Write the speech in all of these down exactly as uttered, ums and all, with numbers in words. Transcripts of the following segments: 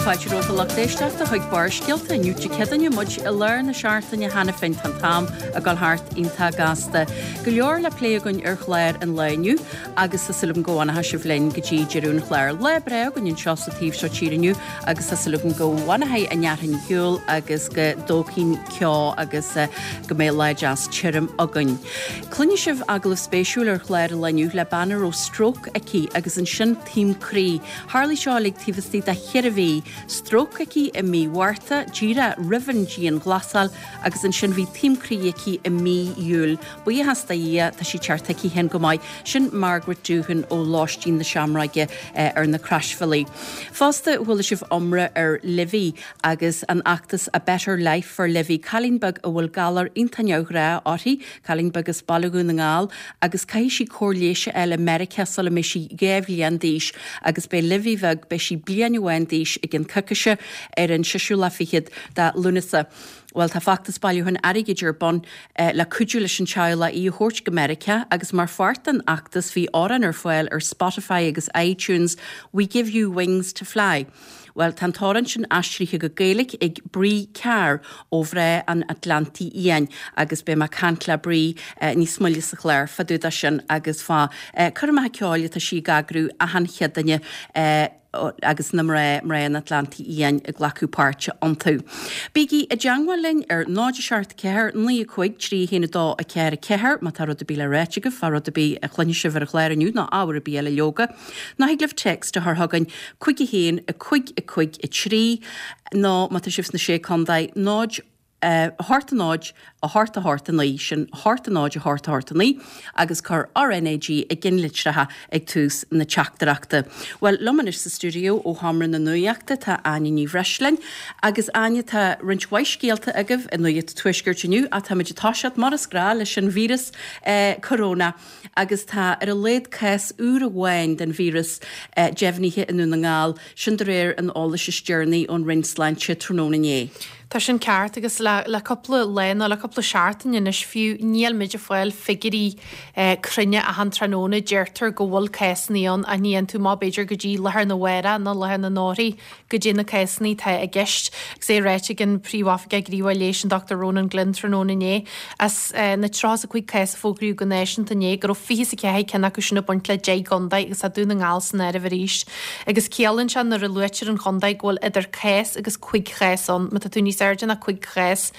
Fáilte romhat a lucht éisteachta chuig Barrscéalta inniu Dé Céadaoine muid i lár na seachtaine cheana féin tá an t-am ag dul thart iontach gasta. Go leor le plé againn ar chlár an lae inniu agus tá súil agam go bhfanfaidh sibh linn go dtí deireadh an chláir. Lá breá againn anseo sa taobh seo tíre inniu agus tá súil agam go bhfanfaidh an fhearthainn ar shiúl agus go dtógfaidh an ceo agus eh, go mbeidh lá deas tirim againn. Cluinfidh sibh agallamh spéisiúil ar chlár an lae inniu le bean a raibh stróc aici agus ansin taom croí. Tharla seo uilig taobh istigh de cheithre mhí. Stróc aici i mí Mhárta, díreach roimh an dianghlasáil agus ansin bhí taom croí aici i mí Iúil. Buíochas do Dhia tá sí ceart aici féin go maith, sin Margaret Doohan ó Lóistín na Seamróige eh, ar na Croisbhealaí. Fosta chuala sibh iomrá ar Livy agus an fheachtas A Better Life for Livy, cailín beag a bhfuil galar iontach neamhghnách uirthi, cailín beag as Baile Dhún na nGall, agus caithfidh sí cóir leighis a fháil i Meiriceá sula mbeidh sí dhá bhliain d'aois agus beidh Livy bheag beidh sí bliain amháin d'aois i gceann coicíse ar an séú lá fichead de Lúnasa. Well tá feachtas bailiúcháin airgid ar bun eh, le cuidiú leis an teaghlach í a thabhairt go Meiriceá agus mar pháirt den fheachtas bhí amhrán ar fáil ar Spotify agus iTunes We Give You Wings to Fly. Well tá an t-amhrán sin aistrithe go Gaeilge ag Brí Carr ó Mhná an Atlantaigh Fhiáin agus beidh mé ag caint le Brí eh, níos moille sa chlár fá dtaobh de sin agus fá eh, choirmeacha ceoil atá sí ag eagrú achan Chéadaoine eh, agus na mná mná an Atlantaigh Fhiáin ag glacadh páirte iontu. Bígí i dteagmháil linn ar náid seacht ceathair naoi cúig trí haon dó a ceathair ceathair má tá rud ar bith le ráit agaibh fá rud ar bith a chluinfidh sibh ar an chlár inniu nó ábhar ar bith eile leoga. Nó thig libh text a chur chugainn cúig a haon a cúig a cúig a trí nó má tá sibh sna sé chontae náid hocht a náid a hocht a hocht a naoi sin hocht a náid a hocht a hocht a naoi agus cuir RNAG i gceannlitreacha ag tús na teachtaireachta. Well liom anois sa stiúideo ó Sheomra na Nuachta tá Áine Ní Bhreisleáin agus Áine tá roinnt mhaith scéalta agaibh i Nuacht Tuaiscirt inniu táimid ag toiseacht mar is gnách leis an víreas eh, corona agus tá ar a laghad cás úr amháin den víreas eh, deimhnithe i nDún na nGall sin de réir an eolais is deireanaí ón Roinn Sláinte tráthnóna inné. Tá sin ceart agus le, le cúpla lá nó le cúpla seachtain anois fiú níl muid ag fáil figiúirí eh, cruinne achan tráthnóna deirtear go bhfuil cásanna ann a níonn tú má b'fhéidir go dtí lá arna mhárach nó lá arna mhárach go dtí na cásanna atá i gceist. Agus é ráite ag an príomhoifigeach gníomhach leighis an Dr Ronan Glynn tráthnóna inné as eh, na tríocha a cúig cás a fógraíodh go náisiúnta inné go raibh fiche a ceathair ceann acu sin ag baint le deich gcontae agus tá Dún na nGall san áireamh arís. Agus ciallaíonn sé nuair a luaitear an chontae go bhfuil idir cás agus cúig chás ann, má tá tú níos airde ná cúig chás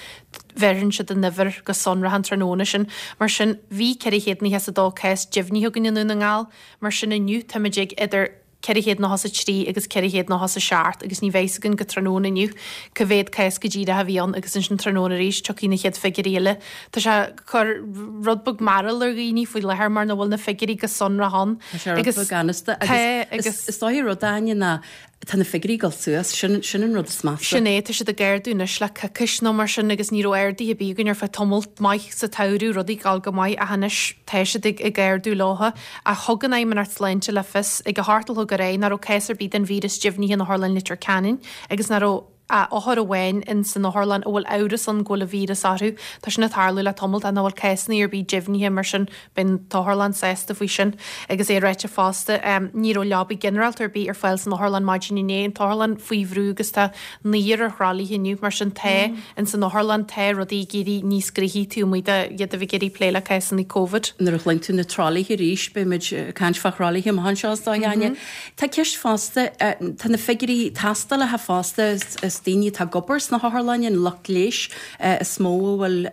bheireann siad an uimhir go sonrach an tráthnóna sin. Mar sin bhí ceithre chéad nócha a dó cás deimhnithe againn i nDún na nGall, mar sin inniu táimid ag idir ceithre chéad nócha a trí agus ceithre chéad nócha a seacht agus ní bheidh againn go tráthnóna inniu cá mhéad cás go díreach a bhí ann agus ansin tráthnóna arís tiocfaidh na chéad figiúirí eile. Tá sé cur rud beag mearbhall ar dhaoine faoi láthair mar nach bhfuil na figiúirí go sonrach ann. Agus ganasta agus is dóigh rud Áine ná tá na figiúirí ag dul suas sin sin an rud is measa. Sin é tá siad ag ardú anois le coicís nó mar sin agus ní raibh arduithe ar bith againn ar feadh tamall maith sa tsamhradh rudaí ag dul go maith ach anois tá siad ag ag ardú leothu a thug an Fheidhmeannacht Sláinte le fios ag a hocht a chlog aréir nach raibh cás ar bith den víreas deimhnithe in Otharlann Leitir Ceanainn agus nach raibh a othar amháin in san otharlann a bhfuil amhras ann go bhfuil an víreas orthu. Tá sin ag tarlú le tamall nach bhfuil cásanna ar bith deimhnithe mar sin bíonn an t-otharlann sásta faoi sin agus é ráite fosta um, ní raibh leaba ginearálta ar bith ar fáil san otharlann maidin inné an t-otharlann faoi bhrú agus tá naonúr ar thralaithe inniu mar sin tá mm. in san otharlann tá rudaí ag éirí níos gnoithí taobh de iad a bheith ag plé le cásanna COVID. Nuair a chluin tú na tralaithe arís beimid caint fá thralaithe amach anseo is dóigh Áine. Tá ceist fosta tá na figiúirí tástálacha fosta is daoine atá ag obair sna hotharlanna an lucht leighis is mó a bhfuil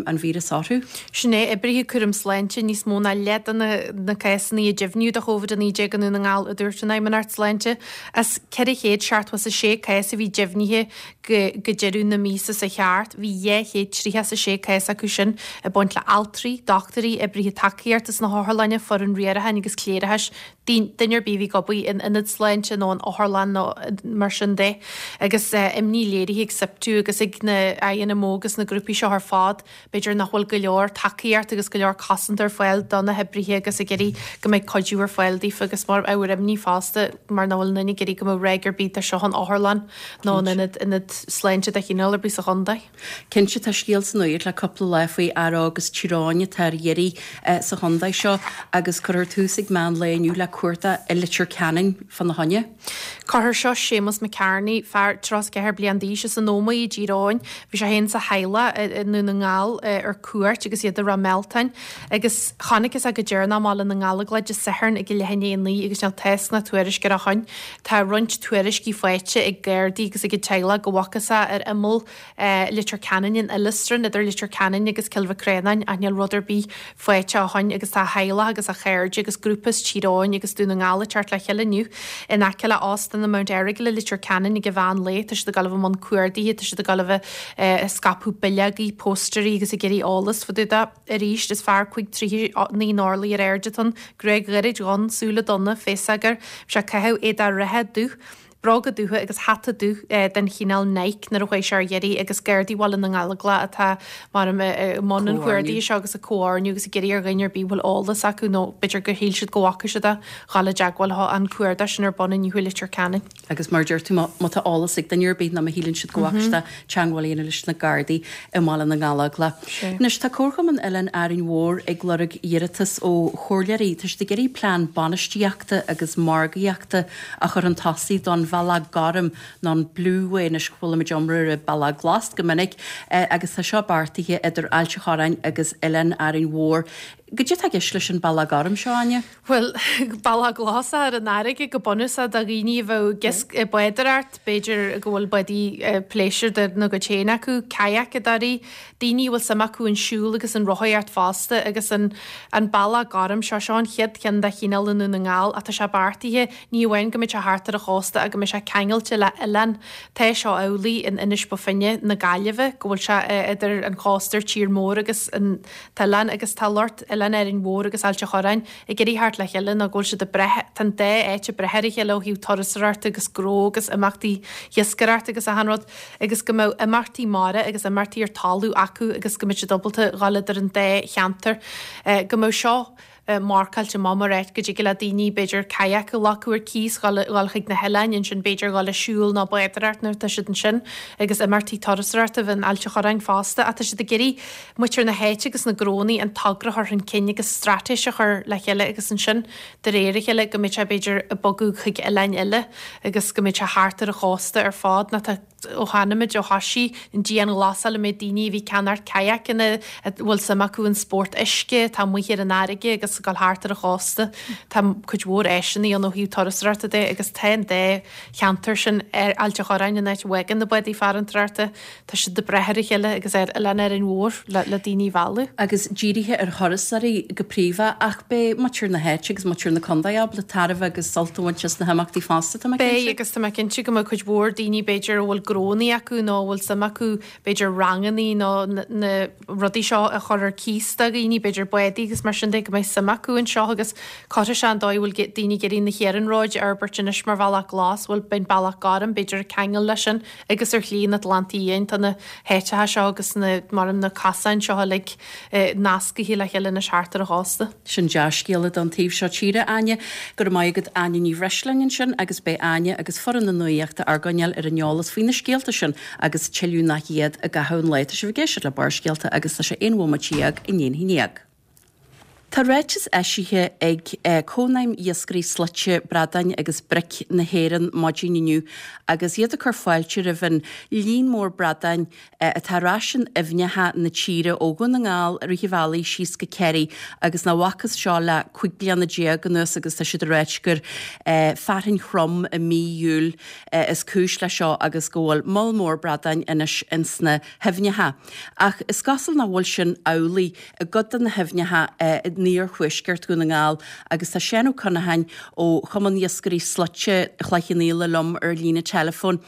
an víreas orthu. Sin é oibrithe cúram sláinte níos mó ná leath de na, na cásanna a deimhníodh de COVID a naoi déag i nDún na nGall a dúirt an Fheidhmeannacht Sláinte as ceithre chéad seachtó a sé cás a bhí deimhnithe go, go deireadh na míosa seo thart, bhí dhá chéad tríocha a sé cás acu sin ag baint le altraí, dochtúirí, oibrithe tacaíochta sna hotharlanna, foireann riaracháin agus cléireachais, duine ar bith a bhí ag obair in ionad sláinte nó an otharlann nó mar sin de. Agus eh, imní léirithe ag SIPTU agus ag na INMO agus na grúpaí seo ar fad, b'fhéidir nach bhfuil go leor tacaíocht agus go leor cosaint ar fáil do na hoibrithe agus ag iarraidh go mbeidh cuidiú ar fáil daofa agus mar ábhar imní fosta mar nach bhfuil aon duine ag iarraidh go mbeadh ráig ar bith de seo in otharlann nó in ionad ionad sláinte de chineál ar bith sa chontae. Cinnte tá scéal sa nuacht le cúpla lá faoi fhear óg as Tír Eoghain atá ar iarraidh sa chontae seo agus cuirfear tús ag meán lae inniu le cuardach i Leitir Ceanainn fána choinne. Cuirfear seo Séamus McCartney, fear tríocha is ceathair bliain d'aois as an Ómaigh i dTír Eoghain. Bhí sé féin is a theaghlach i nDún na nGall ar cuairt agus iad i Ráth Mealtain agus chonacthas é go deireanach i mBaile na nGallóglach Dé Sathairn ag a leath i ndiaidh a naoi agus níl tásc ná tuairisc air ó shoin. Tá roinnt tuairiscí faighte ag Gardaí agus ag an teaghlach go bhfacthas é ar imeall Leitir Ceanainn in Oileastran, idir Leitir Ceanainn agus Cill Mhic Réanáin, ach níl rud ar bith faighte ó shoin agus tá a theaghlach agus a chairde agus grúpa as Tír Eoghain agus Dún na nGall ag teacht le chéile inniu in aice le Óstán an Mount Errigal i Leitir Ceanainn ag an mheán lae. Tá siad ag dul a bheith i mbun cuardaithe, tá siad ag dul a bheith ag scaipeadh bileogaí, póstairí agus ag iarraidh eolas fá dtaobh de. Arís, is fear cúig troighe naoi n-orlaí ar airde atá ann, gruaig ghairid dhonn, súile donna, féasóg air. Bhí sé ag caitheamh éadach reithe dubh, bróga dubha agus hata dubh den chineál Nike nuair a chuaigh sé ar iarraidh agus Gardaí Bhaile na nGallóglach atá mar i mbun an chuardaigh seo agus ag comhordú agus ag iarraidh ar dhuine ar bith a bhfuil eolas acu nó b'fhéidir gur shíl siad go bhfaca siad é dhul i dteagmháil leo an cuardach sin ar bun inniu i Leitir Ceanainn. Agus mar a deir tú, má tá eolas ag duine ar bith nó má shíleann siad go bhfaca siad é, teagmháil a dhéanamh leis na Gardaí i mBaile na nGallóglach. Anois tá Comharchumann Oileán Árainn Mhór ag lorg iarratas ó chomhairleoirí. Tá siad ag iarraidh plean bainistíochta agus margaíochta a chur chun tosaigh don Bhealach Gorm nó an Blue Way anois go bhfuilimid iomrá ar an Bealach Glas go minic agus tá seo beartaithe idir Ailt an Chorráin agus Oileán Árainn Mhór. Goidé atá i gceist leis an Bealach Gorm seo, Áine? Bhuel, bealach glas ar an fharraige go bunúsach do dhaoine a bheadh ag bádóireacht, b'fhéidir go bhfuil bádaí pléisiúir dá gcuid féin acu, cadhacadóirí, daoine a bhfuil suim acu in siúl agus in rothaíocht fosta agus an an bealach gorm seo, seo an chéad cheann dá chineál i nDún na nGall ach tá sé beartaithe ní amháin go mbeidh sé thart ar an chósta ach go mbeidh sé ceangailte le oileán. Tá seo amhlaidh in Inis Bó Finne na Gaillimhe go bhfuil sé idir an chósta ar tír mór agus an t-oileán agus tá lucht Oileán Árainn Mhór agus Ailt an Chorráin ag iarraidh theacht le chéile nó go bhfuil siad ag breith, tá an dá áit ag breith ar a chéile ó thaobh turasóireachta agus gnó agus imeachtaí iascaireachta agus achan rud agus go mbeadh imeachtaí mara agus imeachtaí ar talamh acu agus go mbeadh siad ábalta dhul idir an dá cheantar. Go mbeadh seo marcáilte amach mar áit go dtig le daoine b'fhéidir kayak a ghlacadh ar cíos, dhul chuig na hoileáin ansin b'fhéidir dhul ag siúl nó bádóireacht nuair atá siad ansin agus imeachtaí turasóireachta a bheith in Ailt an Chorráin fosta ach tá siad ag iarraidh muintir na háite agus na gnónnaí an togra a chur chun cinn agus straitéis a chur le chéile agus ansin de réir a chéile go mbeidh sé b'fhéidir ag bogadh chuig oileáin eile agus go mbeidh sé thart ar an chósta ar fad nó tá ó chonaic muid ó thoisigh an dianghlasáil an méid daoine a bhí ag ceannacht kayakanna a bhfuil suim acu in spórt uisce, atá amuigh ar an fharraige agus ag dul thart ar an chósta. Tá cuid mhór áiseanna ann ó thaobh turasóireachta de agus tá an dá cheantar sin ar Ailt an Chorráin, an áit a bhfágann na bádaí farantóireachta, tá siad ag breith ar a chéile agus ar Oileán Árainn Mhór le le daoine a mhealladh. Agus dírithe ar thurasóirí go príomha ach beidh muintir na háite agus muintir na contae ábalta tairbhe agus sult a bhaint as na himeachtaí fosta, tá mé Beidh cinnte. agus tá mé cinnte go mbeidh cuid mhór daoine b'fhéidir a bhfuil gnónnaí acu nó a bhfuil suim acu b'fhéidir rangannaí nó na rudaí seo a chur ar cíos do dhaoine, b'fhéidir bádaí agus mar sin de, go mbeidh suim acu anseo agus cuirfidh sé an dóigh a bhfuil daoine ag iarraidh na hiarnróid a fhorbairt anois mar bhealach glas, bhuel beidh an bealach gorm b'fhéidir ag ceangal leis sin agus ar Shlí an Atlantaigh Fhiáin tá na háiteacha seo agus na mar na casáin seo uilig nascaithe le chéile anois thart ar an chósta. Sin dea-scéala don taobh seo tíre, Áine. Go raibh maith agat Áine Ní Bhreisleáin ansin agus beidh Áine agus foireann na Nuachta ár gcoinneáil ar an eolas faoi na scéalta sin agus tuilleadh nach iad i gcaitheamh an lae. Tá sibh ag éisteacht le Barrscéalta agus tá sé aon bhomaite dhéag i ndiaidh a haon déag. Tá ráiteas eisithe ag Cónaidhm Iascairí Slaite, Bradáin agus Bric na hÉireann maidin inniu agus iad ag cur fáilte roimh an líon mór bradáin atá ar ais in aibhneacha na tíre ó Dhún na nGall, rith an bhealaigh síos go Ciarraí agus nach bhfacthas seo le cúig bliana déag anuas agus tá siad ag ráit gur fearthainn throm i mí Iúil is cúis leis seo agus go bhfuil moll mór bradáin anois ins na haibhneacha. Ach is cosúil nach bhfuil sin amhlaidh i gcuid de na haibhneacha in iarthuaisceart Dhún na nGall agus tá Seán Ó Conacháin ó Chumann Iascairí Slaite Chloich Cheann Fhaola liom ar líne teileafóin.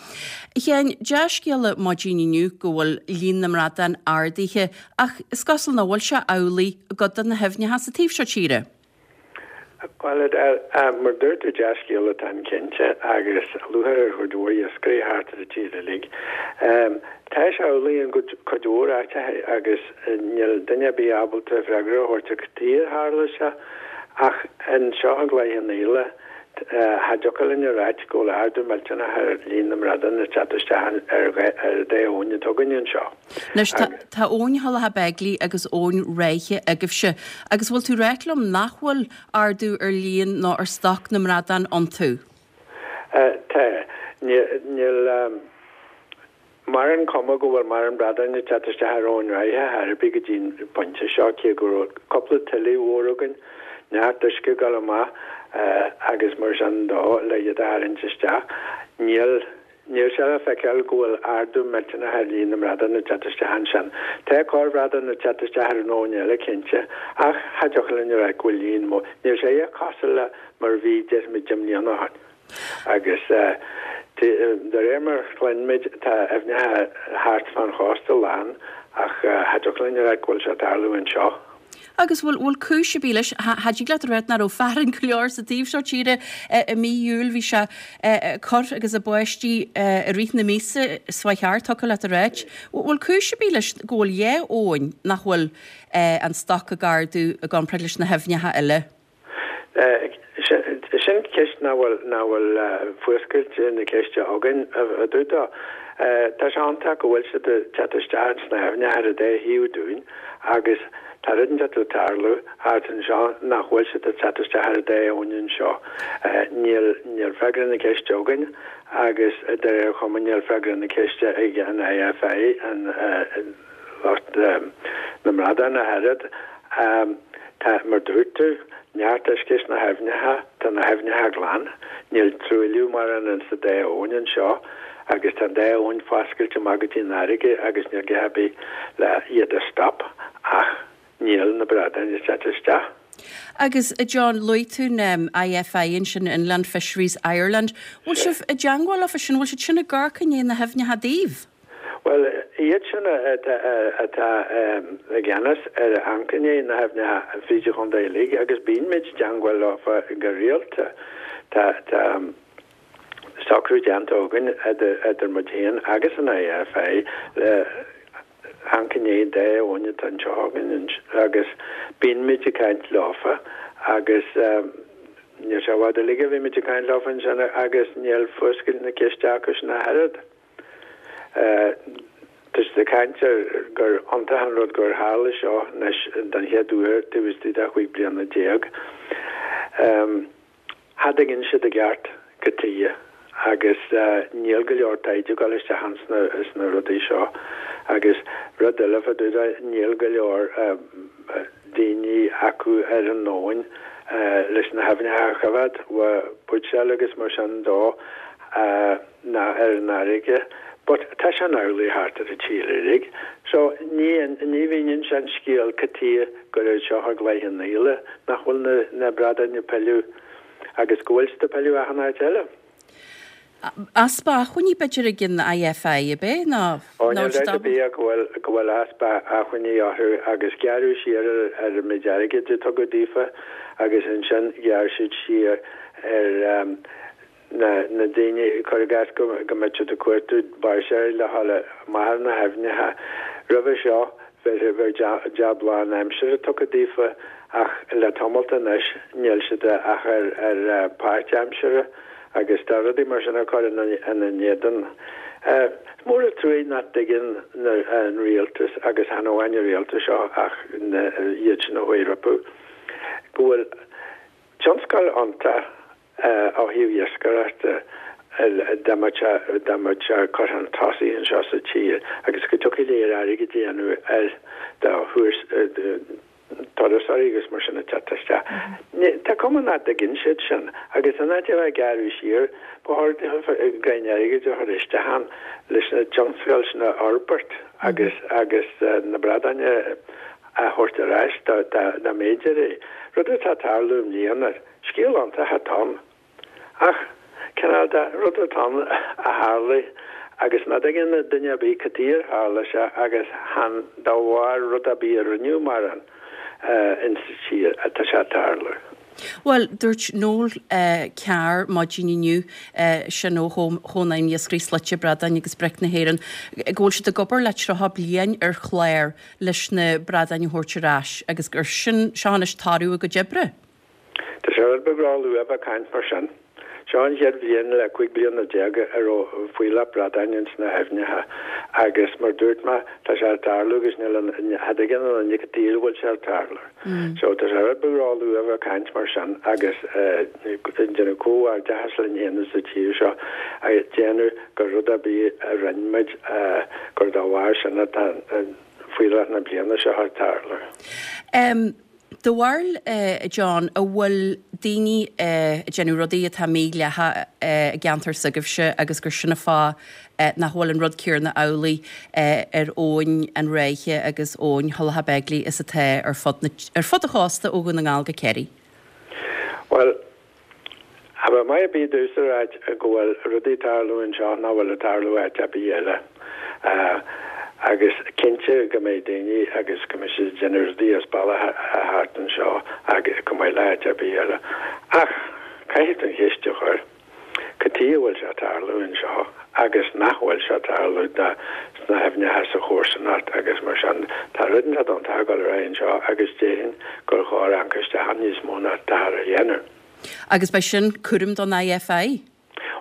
A Sheáin, dea-scéala maidin inniu go bhfuil líon na mbradán ardaithe ach is cosúil nach bhfuil sé amhlaidh i gcuid de na haibhneacha sa taobh seo tíre. Bhuel, mar dúirt tú, dea-scéal atá ann cinnte, agus lúcháir ar chuid mhór iascairí thart ar an tír uilig. Tá sé amhlaidh in cuid mhór áiteacha agus níl duine ar bith ábalta freagra a thabhairt ar cad chuige ar tharla sé, ach anseo i gCloich Cheann Fhaola, cha dtiocfadh linn a ráit go bhfuil ardú millteanach ar líon na mbradán ag teacht isteach ar an dá abhainn atá againn anseo. Anois, tá abhainn Thulach Beigile agus abhainn Ráithe agaibhse, agus bhfuil tú ráit liom nach bhfuil ardú ar líon nó ar stoc na mbradán iontu? Tá. Níl. Mórán cuma go bhfuil mórán bradáin ag teacht isteach ar Abhainn Ráithe ar bith go dtí an pointe seo, cé go raibh cúpla tuile mhór againn, neart uisce ag dul amach agus mar sin dó le iad a tharraingt isteach. Níl níl sé le feiceáil go bhfuil ardú millteanach ar líon na mbradán ag teacht isteach ansin. Tá corrbhradán ag teacht isteach ar an abhainn eile cinnte, ach cha dtiocfadh linn a rá go bhfuil líon mór, níl sé cosúil le mar a bhí déarfaimid deich mbliana ó shin. Agus de réir mar a chluinimid, tá aibhneacha thart fán chósta lán, ach cha dtiocfadh linn a rá go bhfuil sé ag tarlú anseo. Agus bhfuil bhfuil cúis ar bith leis? Cha dtig leat a rá nach raibh fearthainn go leor sa taobh seo tíre i mí Iúil, bhí sé ag cur agus ag báistí i rith na míosa is fá cheart, thiocfadh leat a ráit. Bhfuil cúis ar bith leis go bhfuil dhá abhainn nach bhfuil an stoc ag ardú i gcomparáid leis na haibhneacha eile? Sin ceist nach bhfuil nach bhfuil fuascailt na ceiste againn a dúdá. Tá sé iontach go bhfuil siad ag teacht isteach sna haibhneacha ar an dá thaobh dúinn agus tá rud inteacht ag tarlú thart anseo nach bhfuil siad ag teacht isteach ar an dá abhainn anseo. Níl níl freagra na ceiste againn agus de réir cuma níl freagra na ceiste ag an I F I, an lucht na mbradán ach oiread. Tá, mar dúirt tú, neart uisce sna haibhneacha, tá na haibhneacha glan, níl truailliú mórán insa dá abhainn anseo agus tá an dá abhainn foscailte amach go dtí an fharraige agus níl gá ar bith le iad a stop ach níl na bradáin ag teacht isteach. Agus John, luaigh tú na I F I ansin, Inland Fisheries Ireland. Bhfuil sibh i dteangmháil leofa sin, bhfuil siad sin ag amharc i ndiaidh na haibhneacha daoibh? Bhuel, iad sin atá i gceannas ar amharc i ndiaidh na haibhneacha fríd an chontae uilig agus bíonn muid i dteangmháil leofa go rialta. Tá tá socrú déanta againn idir muid féin agus an I F I le amharc i ndiaidh dá abhainn atá anseo againn agus bíonn muid ag caint leofa agus níl sé i bhfad uilig a bhí muid ag caint leofa ansin agus níl fuascailt na ceiste acu sin ach oiread. Tá siad ag caint ar gur iontach an rud gur tharla seo anois den chéad uair taobh istigh de chúig bliana déag. Cha dtuigeann siad i gceart cad chuige agus níl go leor taighde ag dul isteach ins na rudaí seo agus rud eile fá dtaobh de níl go leor daoine acu ar an abhainn leis na haibhneacha a choimhéad, buitséal agus mar sin dó ná ar an fharraige. But tá sé amhlaidh thart ar an tír uilig. So ní ní mhíníonn sé an scéal cad chuige gur anseo i gCloich Cheann Fhaola nach bhfuil na na bradáin ag pilleadh agus go bhfuil siad ag pilleadh achan áit eile. Easpa acmhainní b'fhéidir ag an I F I ab é ná Ó níl dabht ar bith go bhfuil go bhfuil easpa acmhainní orthu agus gearradh siar ar ar an méid airgid a tugadh daofa agus ansin ghearr siad siar ar um, na na daoine cuir i gcás go go mbeadh siad ag cuartú báirseoirí le dhul amach ar na haibhneacha. Roimhe seo bheadh bheadh jab lánaimseartha tugtha daofa ach le tamall anois níl siad ach ar ar páirtaimseartha agus tá rudaí mar sin ag cur ina ina n-éadan. Is mór an trua nach dtuigeann an rialtas agus chan amháin an rialtas seo ach iad sin a chuaigh rompu go bhfuil tionscal iontach ó thaobh iascaireachta dá mbeadh sé dá mbeadh sé curtha chun tosaigh anseo sa tír agus go dtiocfadh léir airgead a dhéanamh ar do turasóirí agus mar sin ag teacht isteach. Tá cuma nach dtuigeann siad sin agus in áit a bheith ag gearradh siar ba chóir greim airgid a chur isteach ann leis na tionscail sin a fhorbairt agus agus na bradáin a thabhairt ar ais dá dá mb'fhéidir é. Rud atá ag tarlú i mbliana, scéal iontach atá ann. Ach cineál de rud atá ann a tharlaigh agus nach dtuigeann duine ar bith cad chuige ar tharla sé agus chan de bharr rud ar bith a rinneadh mar an insa tír atá sé ag tarlú. Bhuel, dúirt Noel Carr maidin inniu, sin ó Chónaidhm Iascairí Slaite Bradáin agus Bric na hÉireann, go bhfuil siad ag obair le tríocha bliain ar chlár leis na bradáin a thabhairt ar ais agus gur sin seo anois toradh a gcuid oibre. Tá sé rud beag róluath a bheith ag caint mar sin. Seo an chéad bhliain le cúig bliana déag a raibh fuílleach bradáin ins na haibhneacha agus mar dúirt mé, tá sé ag tarlú agus níl an, cha dtuigeann an duine cad tuige a bhfuil sé ag tarlú. So tá sé rud beag róluath a bheith ag caint mar sin agus ag déanamh comhghairdeachas linn féin sa tír seo ag déanamh gur rud ar bith a rinne muid gur dá bharr sin atá fuílleach na bliana seo ag tarlú. Do bharúil, a John, an bhfuil daoine ag déanamh rudaí atá mídhleathach i gceantar s'agaibhse agus gur sin an fáth nach bhfuil an rud céanna amhlaidh ar abhainn an Ráithe agus abhainn Thulach Beigile is atá ar fud na, ar fud an chósta ó Dhún na nGall go Ciarraí? Bhuel, cha bheadh maith ar bith domhsa a ráit go bhfuil rudaí ag tarlú anseo nach bhfuil ag tarlú áit ar bith eile. Agus cinnte go mbeidh daoine agus go mbeidh siad ag déanamh rudaí as bealach thart anseo agus chomh maith le háit ar bith eile. Ach caithfidh tú an cheist a chur, cad tuige a bhfuil sé ag tarlú anseo agus nach bhfuil sé ag tarlú sna haibhneacha sa chomharsanacht agus mar sin. Tá rud inteacht iontach ag dul ar aghaidh anseo agus déarfainn gur chóir amharc isteach ann níos mó ná atáthar a dhéanamh. Agus beidh sin cúram don IFI?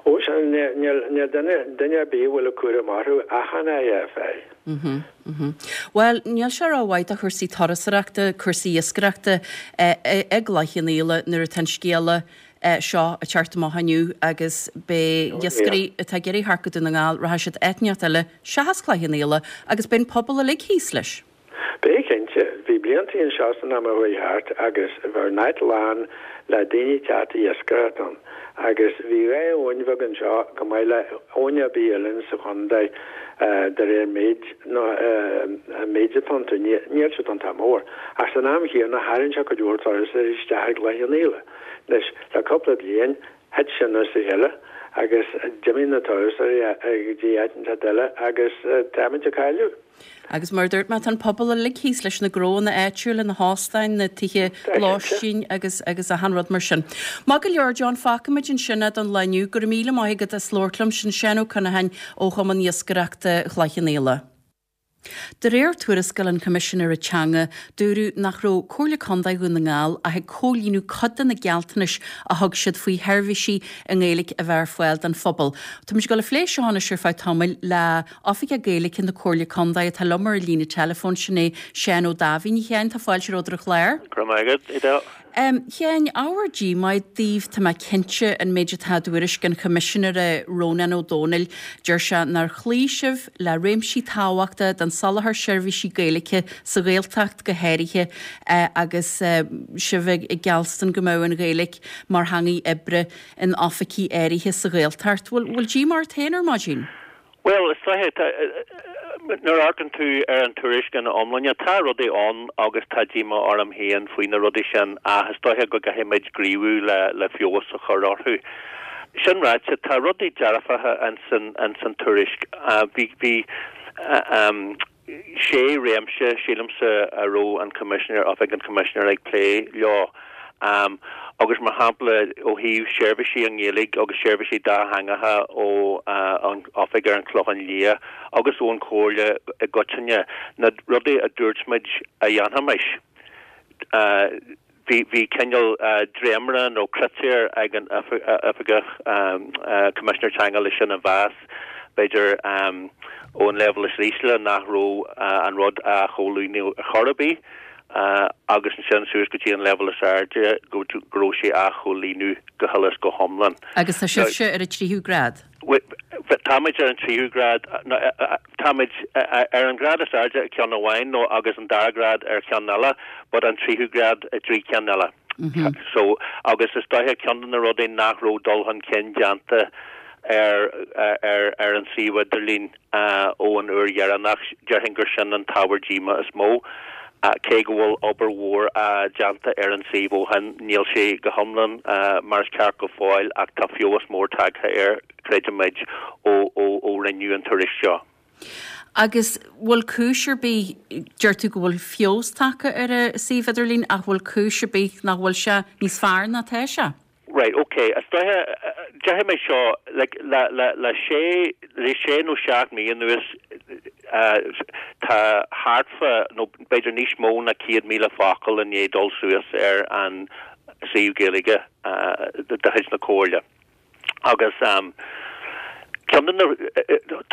Ó sea, níl duine, duine ar bith a bhfuil cúram orthu ach an IFI. Mhm, mhm. Bhuel, níl sé rómhaith do chúrsaí turasóireachta, cúrsaí iascaireachta i gCloich Cheann Fhaola nuair atá an scéala seo ag teacht amach inniu agus beidh iascairí atá ag iarraidh theacht go Dún na nGall, rachaidh siad áit inteacht eile seachas Cloich Cheann Fhaola agus beidh an pobal uilig thíos leis. Beidh, cinnte. Bhí blianta anseo san am a chuaigh thart agus bheadh an áit lán le daoine ag teacht ag iascaireacht ann agus bhí dhá abhainn bheag anseo chomh maith le abhainn ar bith eile sa chontae de réir méid nó an méid atá iontu. Níl siad iontach mór ach san am chéanna tharraing sé cuid mhór turasóirí isteach ag Cloich Cheann Fhaola. Anois le cúpla bliain thit sin as a chéile agus d'imigh na turasóirí go dtí áit inteacht eile agus táimid ag cailleadh. Agus mar a dúirt mé, tá an pobal uilig thíos leis na gnóanna áitiúla, na hóstáin, na tithe lóistín agus agus achan rud mar sin. Maith go leor, John, fágfaimid ansin é don lá inniu. Go raibh míle maith agat as labhairt liom. Sin Seán Ó Conacháin ó Chumann Iascaireachta Chloich Cheann Fhaola. De réir tuarascáil an Choimisinéara Teanga, dúradh nach raibh Comhairle Contae Dhún na nGall ach ag comhlíonadh cuid de na gealltanais a thug siad faoi sheirbhísí i nGaeilge a bheith ar fáil don phobal. Táimid ag dul a phlé seo anois ar feadh tamaill le Oifigeach Gaeilge na Comhairle Contae atá liom ar an líne teileafóin, sin é Seán Ó Daimhín. A Sheáin, tá fáilte romhat ar an chlár. Go raibh maith agat, Edel. A Sheáin, ábhar díomá daoibh, tá mé cinnte, an méid atá i dtuairisc an Choimisinéara Rónán Ó Domhnaill. Deir sé nár chloígh sibh le réimsí tábhachtacha den soláthar seirbhísí Gaeilge sa Ghaeltacht go háirithe agus sibh ag geallstan go mbeadh an Ghaeilge mar theangaidh oibre in oifigí áirithe sa Ghaeltacht. Bhfuil díomá ort féin ar maidin? Bhuel, is dóiche, nuair a amharcann tú ar an tuairisc ina iomláine, tá rudaí ann agus tá díomá orm féin faoi na rudaí sin ach is dóiche go gcaithfidh muid gníomhú le le feabhas a chur orthu. Sin ráite, tá rudaí dearfacha ins an ins an tuairisc. Bhí bhí sé réimse, sílimse, a raibh an Coimisinéir, Oifig an Choimisinéara ag plé leo. Agus mar shampla ó thaobh seirbhísí i nGaeilge agus seirbhísí dátheangacha ó an oifig ar an Chlochán Liath agus ón Chomhairle i gcoitinne, na rudaí a dúirt muid a dhéanfaimis, bhí bhí cineál dréimire nó critéir ag an Oifigeach Coimisinéir Teanga leis sin a mheas, b'fhéidir ón leibhéal is ísle nach raibh an rud á chomhlíonadh ar chor ar bith. agus ansin suas go dtí an leibhéal is airde go raibh sé á chomhlíonadh go huile is go hiomlán. Agus tá sibhse ar an tríú grád? Táimid ar an tríú grád. Táimid ar an ghrád is airde i gceann amháin nó agus an dara grád ar cheann eile, but an tríú grád i dtrí cheann eile. So, agus is dóiche ceann de na rudaí nach raibh dul chun cinn déanta ar ar an suíomh idirlín ó an uair dheireanach, déarfainn gur sin an t-ábhar díomá is mó. Cé go bhfuil obair mhór déanta ar an suíomh ó shin, níl sé go hiomlán mar is ceart go fóill ach tá feabhas mór tagtha air, creidimid, ó ó rinneadh an tuairisc seo. Agus bhfuil cúis ar bith deir tú go bhfuil feabhas tagtha ar an suíomh idirlín ach bhfuil cúis ar bith nach bhfuil sé níos fearr ná tá sé? Right, okay. Is dóiche déarfaidh mé seo like, le, le, le sé le sé nó seacht mí anuas tá thart fá nó b'fhéidir níos mó ná céad míle focal i ndiaidh dul suas ar an suíomh Gaeilge de chuid na Comhairle. Agus um, ceann de na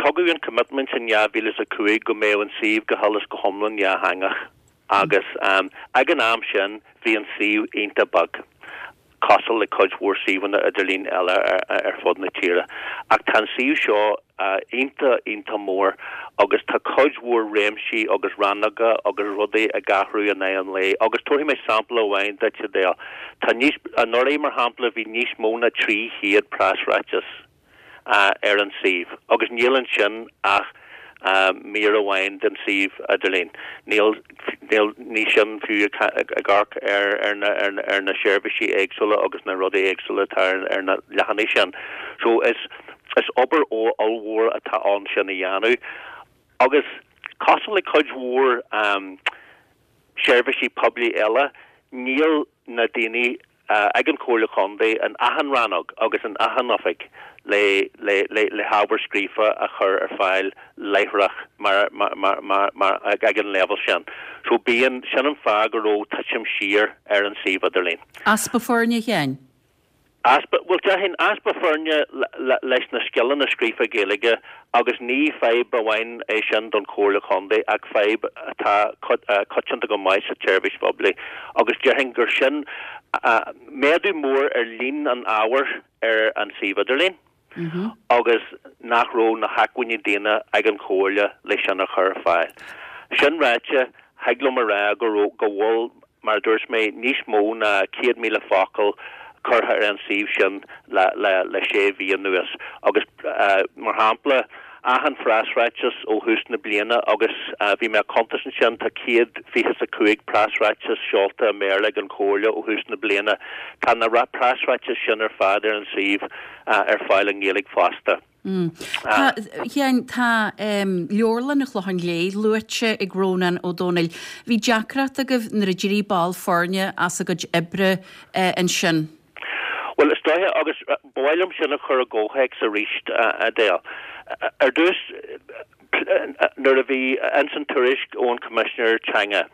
tugadh an commitment in dhá mhíle is a cúig go mbeadh an suíomh go huile is go hiomlán dátheangach agus um, ag an am sin bhí an suíomh iontach beag. cosúil le cuid mhór suíomhanna idirlín eile ar, ar fud na tíre. Ach tá an suíomh seo uh, iontach iontach mór agus tá cuid mhór réimsí agus rannóga agus rudaí ag athrú in aghaidh an lae. Agus tabharfaidh mé sampla amháin duit Adele. Tá níos anuraidh mar shampla bhí níos mó ná trí chéad preasráiteas uh, ar an suíomh. Agus níl ansin ach uh, mír amháin den suíomh idirlín. Níl níl ní sin fiú ag amharc ar ar na ar, ar na seirbhísí éagsúla agus na rudaí éagsúla atá ar, ar na leathanaigh sin. So is is obair ó ollmhór atá ann sin a dhéanamh. Agus cosúil le cuid mhór um, seirbhísí poiblí eile, níl na daoine uh, ag an Chomhairle Contae in achan rannóg agus in achan oifig le le le le hábhar scríofa a chur ar fáil láithreach mar mar mar mar, mar ag ag an level sin. So bíonn sin an fáth go raibh titim siar ar an suíomh idirlín. Easpa foirne Sheáin? Easpa well déarfainn easpa foirne leis na scileanna scríofa Gaeilge agus ní fadhb amháin é sin don Chomhairle Contae ach fadhb atá coitianta go maith sa tseirbhís phoiblí agus déarfainn gur sin méadú mór ar líon an ábhair ar an suíomh idirlín. Mm -hmm. agus nach raibh na hacmhainní daonna ag an Chomhairle leis sin a chur ar fáil. Sin ráite thig liom a rá go go bhfuil mar dúirt mé níos mó ná céad míle focal curtha ar an suíomh sin le, le, le sé mhí anuas. Agus uh, mar shampla achan phreasráiteas ó thús na bliana agus uh, bhí mé cuntas ansin tá céad fiche a cúig preasráiteas seolta i mBéarla ag an Chomhairle ó thús na bliana. Tá na preasráitis sin ar fad ar an suíomh uh, ar fáil i nGaeilge fosta. Mm. Tá tá um, Leabharlann an Chlocháin Léith luaite ag Rónán Ó Domhnaill. Bhí deacracht agaibh nuair a d'éirigh ball foirne as a gcuid oibre uh, ansin. Well is dóiche agus ba mhaith liom sin a chur i gcomhthéacs arís Adele. Ar dtús nuair a bhí an tuairisc ón Coimisinéir Teanga.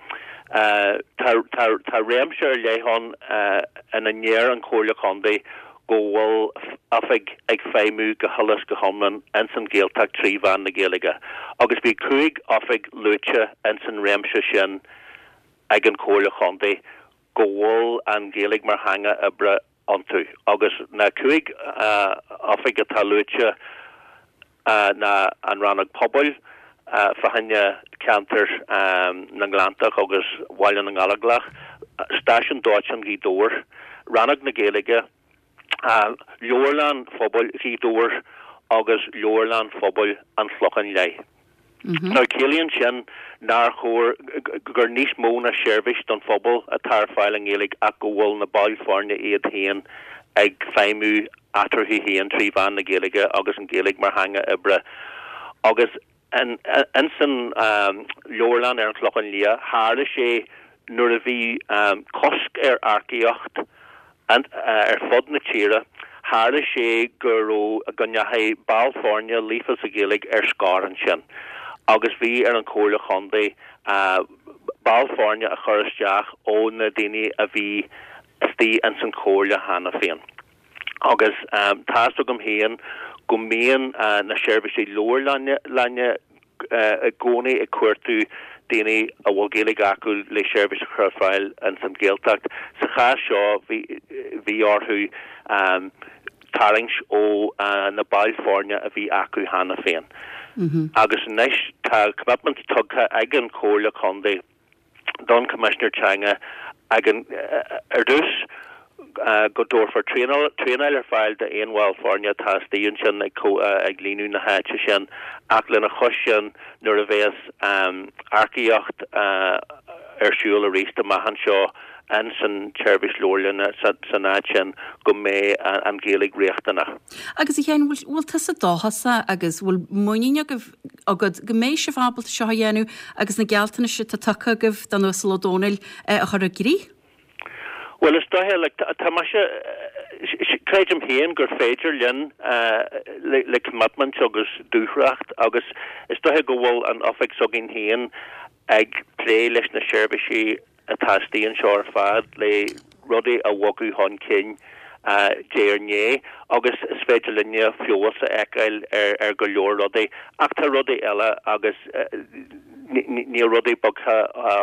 Uh, tá réimse ar leith ann uh, ina ndeir an Chomhairle Contae go bhfuil oifig ag feidhmiú go huile is go hiomlán ins an Ghaeltacht trí mheán na Gaeilge. Agus bhí cúig oifig luaite ins an réimse sin ag an Chomhairle Contae go bhfuil an Ghaeilge mar theanga oibre iontu. Agus na cúig uh, oifig atá luaite uh, ná an rannóg pobail uh, fá choinne ceantar um, na nGleanntach agus Bhaile na nGallóglach, stáisiún dóiteáin Ghaoth Dobhair, rannóg na Gaeilge, uh, leabharlann phobail Ghaoth Dobhair agus leabharlann phobail an Chlocháin Léith. Mm -hmm. Now ciallaíonn sin nár chóir gur níos mó ná seirbhís don phobal atá ar fáil i nGaeilge ach go bhfuil na baill foirne iad féin ag feidhmiú eatarthu féin trí mheán na Gaeilge agus an Ghaeilge mar theanga oibre. Agus an san um, leabharlann ar an Chlochán Liath tharla sé nuair a bhí um, cosc ar earcaíocht an, uh, ar fud na tíre, tharla sé go raibh go ndeachaigh ball foirne líofa sa Ghaeilge ar scor ansin. Agus bhí ar an Chomhairle Chontae uh, ball foirne a chur isteach ó na daoine a bhí istigh ins an Chomhairle cheana féin. Agus um, tá agam féin go mbíonn uh, na seirbhísí leabharlainne uh, i gcónaí ag cuartú daoine a bhfuil Gaeilge acu le seirbhís a chur ar fáil ins an Ghaeltacht. Sa chás seo bhí bhí orthu um, tarraingt ó uh, na baill foirne a bhí acu cheana féin. Mm -hmm. Agus anois tá commitment tugtha ag an Chomhairle Contae don Coimisinéir Teanga ag an uh, ar dtús uh, go dtabharfar traenáil ar fáil d'aon bhall foirne atá istigh ansin ag, uh, ag líonadh na háite sin ach lena chois sin nuair a bheas um, earcaíocht uh, ar siúl arís amach anseo ins an tseirbhís leabharlainne san áit sin go mbeidh an Ghaeilge riachtanach. Agus a Sheáin, bhfuil tusa dóchasach agus bhfuil muinín agaibh agat go mbeidh sibh ábalta seo a dhéanamh agus na gealltanais atá tugtha agaibh don Uasal Ó Dónaill a chur i gcrích? Bhuel, is dóiche, like, tá mise, creidim féin gur féidir linn le, le commitment agus dúthracht agus is dóiche go bhfuil an oifig s'againn féin ag plé leis na seirbhísí atá istigh anseo ar fad le rudaí a bhogadh chun cinn diaidh ar ndiaidh agus is féidir linne feabhas a fheiceáil ar, ar go leor rudaí ach tá rudaí eile agus níl rudaí bogtha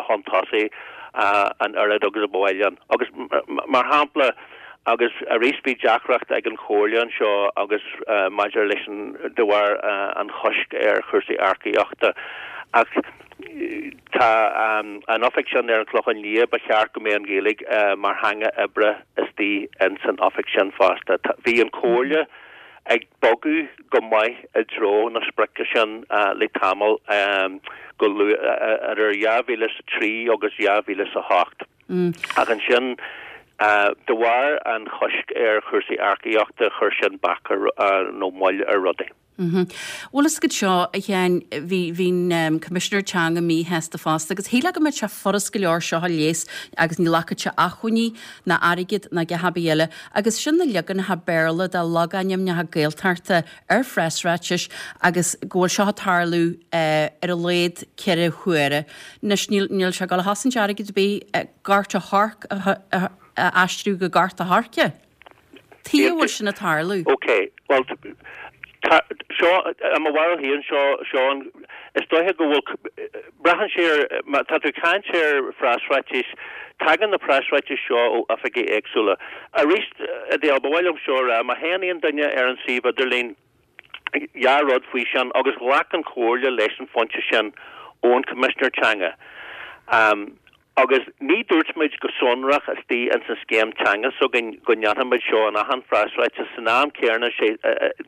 chun tosaigh an oiread agus a ba mhaith linn. Agus mar shampla, agus arís bhí deacracht ag an Chomhairle anseo agus maidir leis an de bharr an choisc ar chúrsaí earcaíochta ach tá an oifig sin ar an Chlochán Liath, ba cheart go mbeadh an Ghaeilge mar theanga oibre istigh in san oifig sin fosta. Bhí an Chomhairle ag bogadh go maith i dtreo na sprice sin le tamall go luath idir dhá mhíle is a trí agus dhá mhíle is a hocht. Ach ansin de bharr an choisc ar chúrsaí earcaíochta chuir sin bac ar nó moill ar rudaí. Bhuel fhios agat seo, a Sheáin, bhí bhí an Coimisinéir Teanga míshásta fosta agus shílfeá go mbeadh sé furast go leor seo a leigheas agus ní ghlacfadh sé acmhainní ná airgead ná a dhath ar bith eile agus sin na leaganacha Béarla de logainmneacha Gaeltachta ar phreasráitis agus go bhfuil seo ag tarlú ar a laghad ceithre huaire. Anois níl níl sé ag dul a chosaint airgead ar bith Gort a' Choirce a aistriú go Gort a' Choirce. Tuige a bhfuil sin ag tarlú? Ok, bhuel, tá, seo, i mo bharúil féin, seo, seo an, is dóiche go bhfuil, braitheann sé ar, má tá tú ag caint ar phreasráitis, tagann na preasráitis seo ó oifigí éagsúla. Arís, Edel, ba mhaith liom seo a rá, má théann aon duine ar an suíomh idirlín, dhá rud faoi sin, agus ghlac an Chomhairle leis an phointe sin ón Choimisinéir Teanga. Agus ní dúirt muid go sonrach istigh ins an scéim teanga s'againn go ndéanfaimid seo in achan phreasráiteas. San am céanna, sé,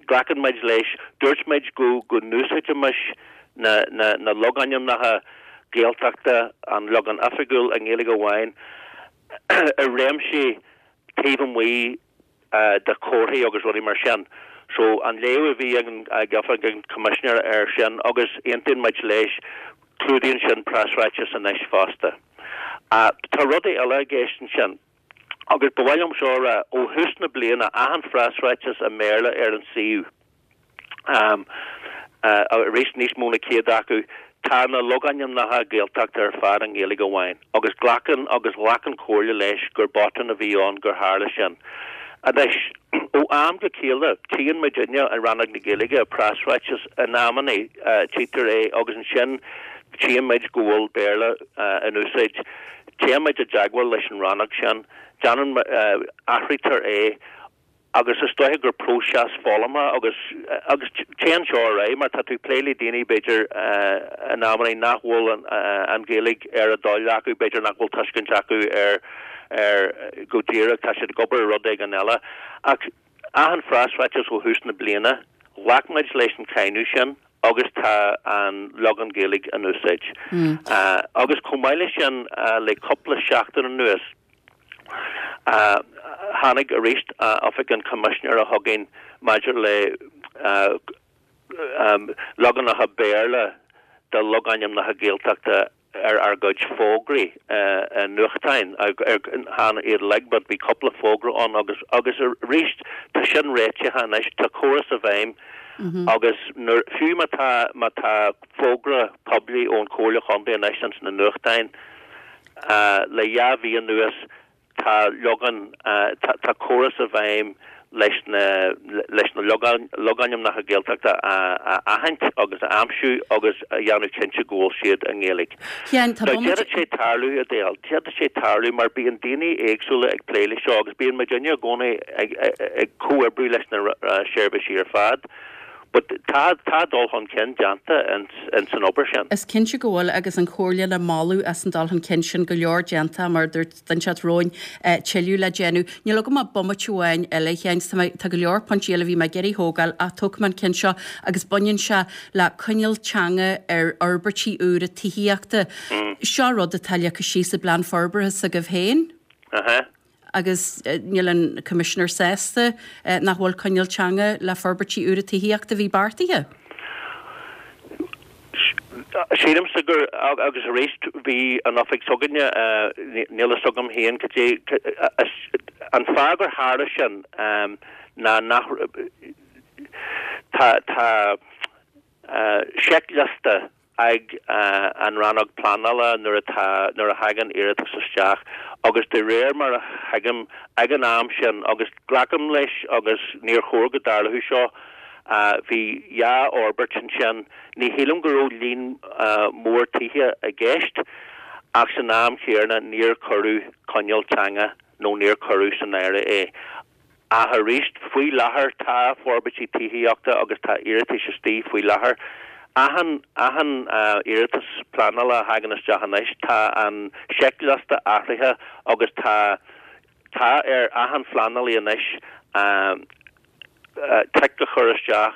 glacann muid leis, dúirt muid go, go n-úsáidfimis na, na, na logainmneacha Gaeltachta, an leagan oifigiúil i nGaeilge amháin, i réimsí taobh amuigh de chomharthaí agus rudaí mar sin. So, an léamh a bhí ag an, ag oifig an Choimisinéara air sin, agus aontaíonn muid leis, clúdaíonn sin preasráiteas anois fosta. Tá rudaí eile i gceist ansin, agus ba mhaith liom seo a rá, ó thús na bliana, achan phreasráiteas i mBéarla ar an suíomh, arís níos mó na céad acu, tá na logainmneacha Gaeltachta ar fad i nGaeilge amháin, agus glacann agus ghlac an Chomhairle leis gur botún a bhí ann gur tharla sin. Anois, ó am go chéile, tchíonn muidinne i Rannóg na Gaeilge preasráiteas, in amanna tchítear é agus ansin tchíonn muid go bhfuil Béarla in úsáid. Téann muid i dteagmháil leis an rannóg sin, déanann, athraítear é agus is dóiche gur próiseas foghlama agus, agus téann seo ar aghaidh mar tá tú ag plé le daoine b'fhéidir in amanna nach bhfuil an, an Ghaeilge ar a dtoil acu, b'fhéidir nach bhfuil tuiscint acu ar, ar go díreach, tá siad ag obair ar rud éigin eile. Ach achan phreasráiteas ó thús na bliana, ghlac muid leis an cháineadh sin agus tá an leagan Gaeilge in úsáid. Agus chomh maith leis sin, le cúpla seachtain anuas, tháinig arís Oifig an Choimisinéara chugainn maidir le leaganacha Béarla de logainmneacha Gaeltachta ar ár gcuid fógraí i nuachtáin, chan iad uilig but bhí cúpla fógra ann agus agus arís tá sin réitithe anois, tá córas i bhfeidhm agus nuair, fiú má tá má tá fógra poiblí ón Chomhairle Chontae anois ins na nuachtáin le dhá mhí anuas, Tá leagan, tá córas i bhfeidhm leis na leis na logainmneacha Gaeltachta a aithint agus a aimsiú agus a dhéanamh cinnte go bhfuil siad i nGaeilge. Now d'fhéadfadh sé tarlú, Edel, d'fhéadfadh sé tarlú mar bíonn daoine éagsúla ag plé leis seo agus bíonn muidinne i gcónaí ag ag comhoibriú leis na seirbhísí ar fad. But tá tá dul chun cinn déanta ins an obair sin. Is cinnte go bhfuil agus an Chomhairle le moladh as an dul chun cinn sin, go leor déanta mar a dúirt duine inteacht romhainn, tuilleadh le déanamh. Níl agam ach bomaite amháin eile, a Sheáin, tá mé, tá go leor pointí eile a bhí mé ag iarraidh thógáil ach tógfaidh mé an ceann seo agus baineann sé le coinníoll teanga ar fhorbairtí úra tithíochta. Seo rud atá leagtha síos i bplean forbartha s'agaibh féin. Aha. Agus níl an Commissioner sásta nach bhfuil coinníoll teanga le forbairtí úra tithíochta a bhí beartaithe. Sílimse gur agus arís bhí an oifig s'againne níl a fhios agam féin cad é an fáth gur tharla sin ná nach tá tá seicliosta ag an rannóg pleanála nuair atá nuair a thagann iarratas isteach agus de réir mar a thuigim ag an am sin agus glacaim leis agus níor chóir go dtarlódh seo bhí dhá fhorbairt ansin ní shílim go raibh líon mór tithe i gceist ach san am chéanna níor cuireadh coinníoll teanga nó níor cuireadh san áireamh é. Ach arís, faoi láthair tá forbairtí tithíochta agus tá iarratais istigh faoi láthair. Achan achan iarratas pleanála a thagann isteach anois, tá an seicliosta athraithe agus tá tá ar achan phleanálaí anois tic a chur isteach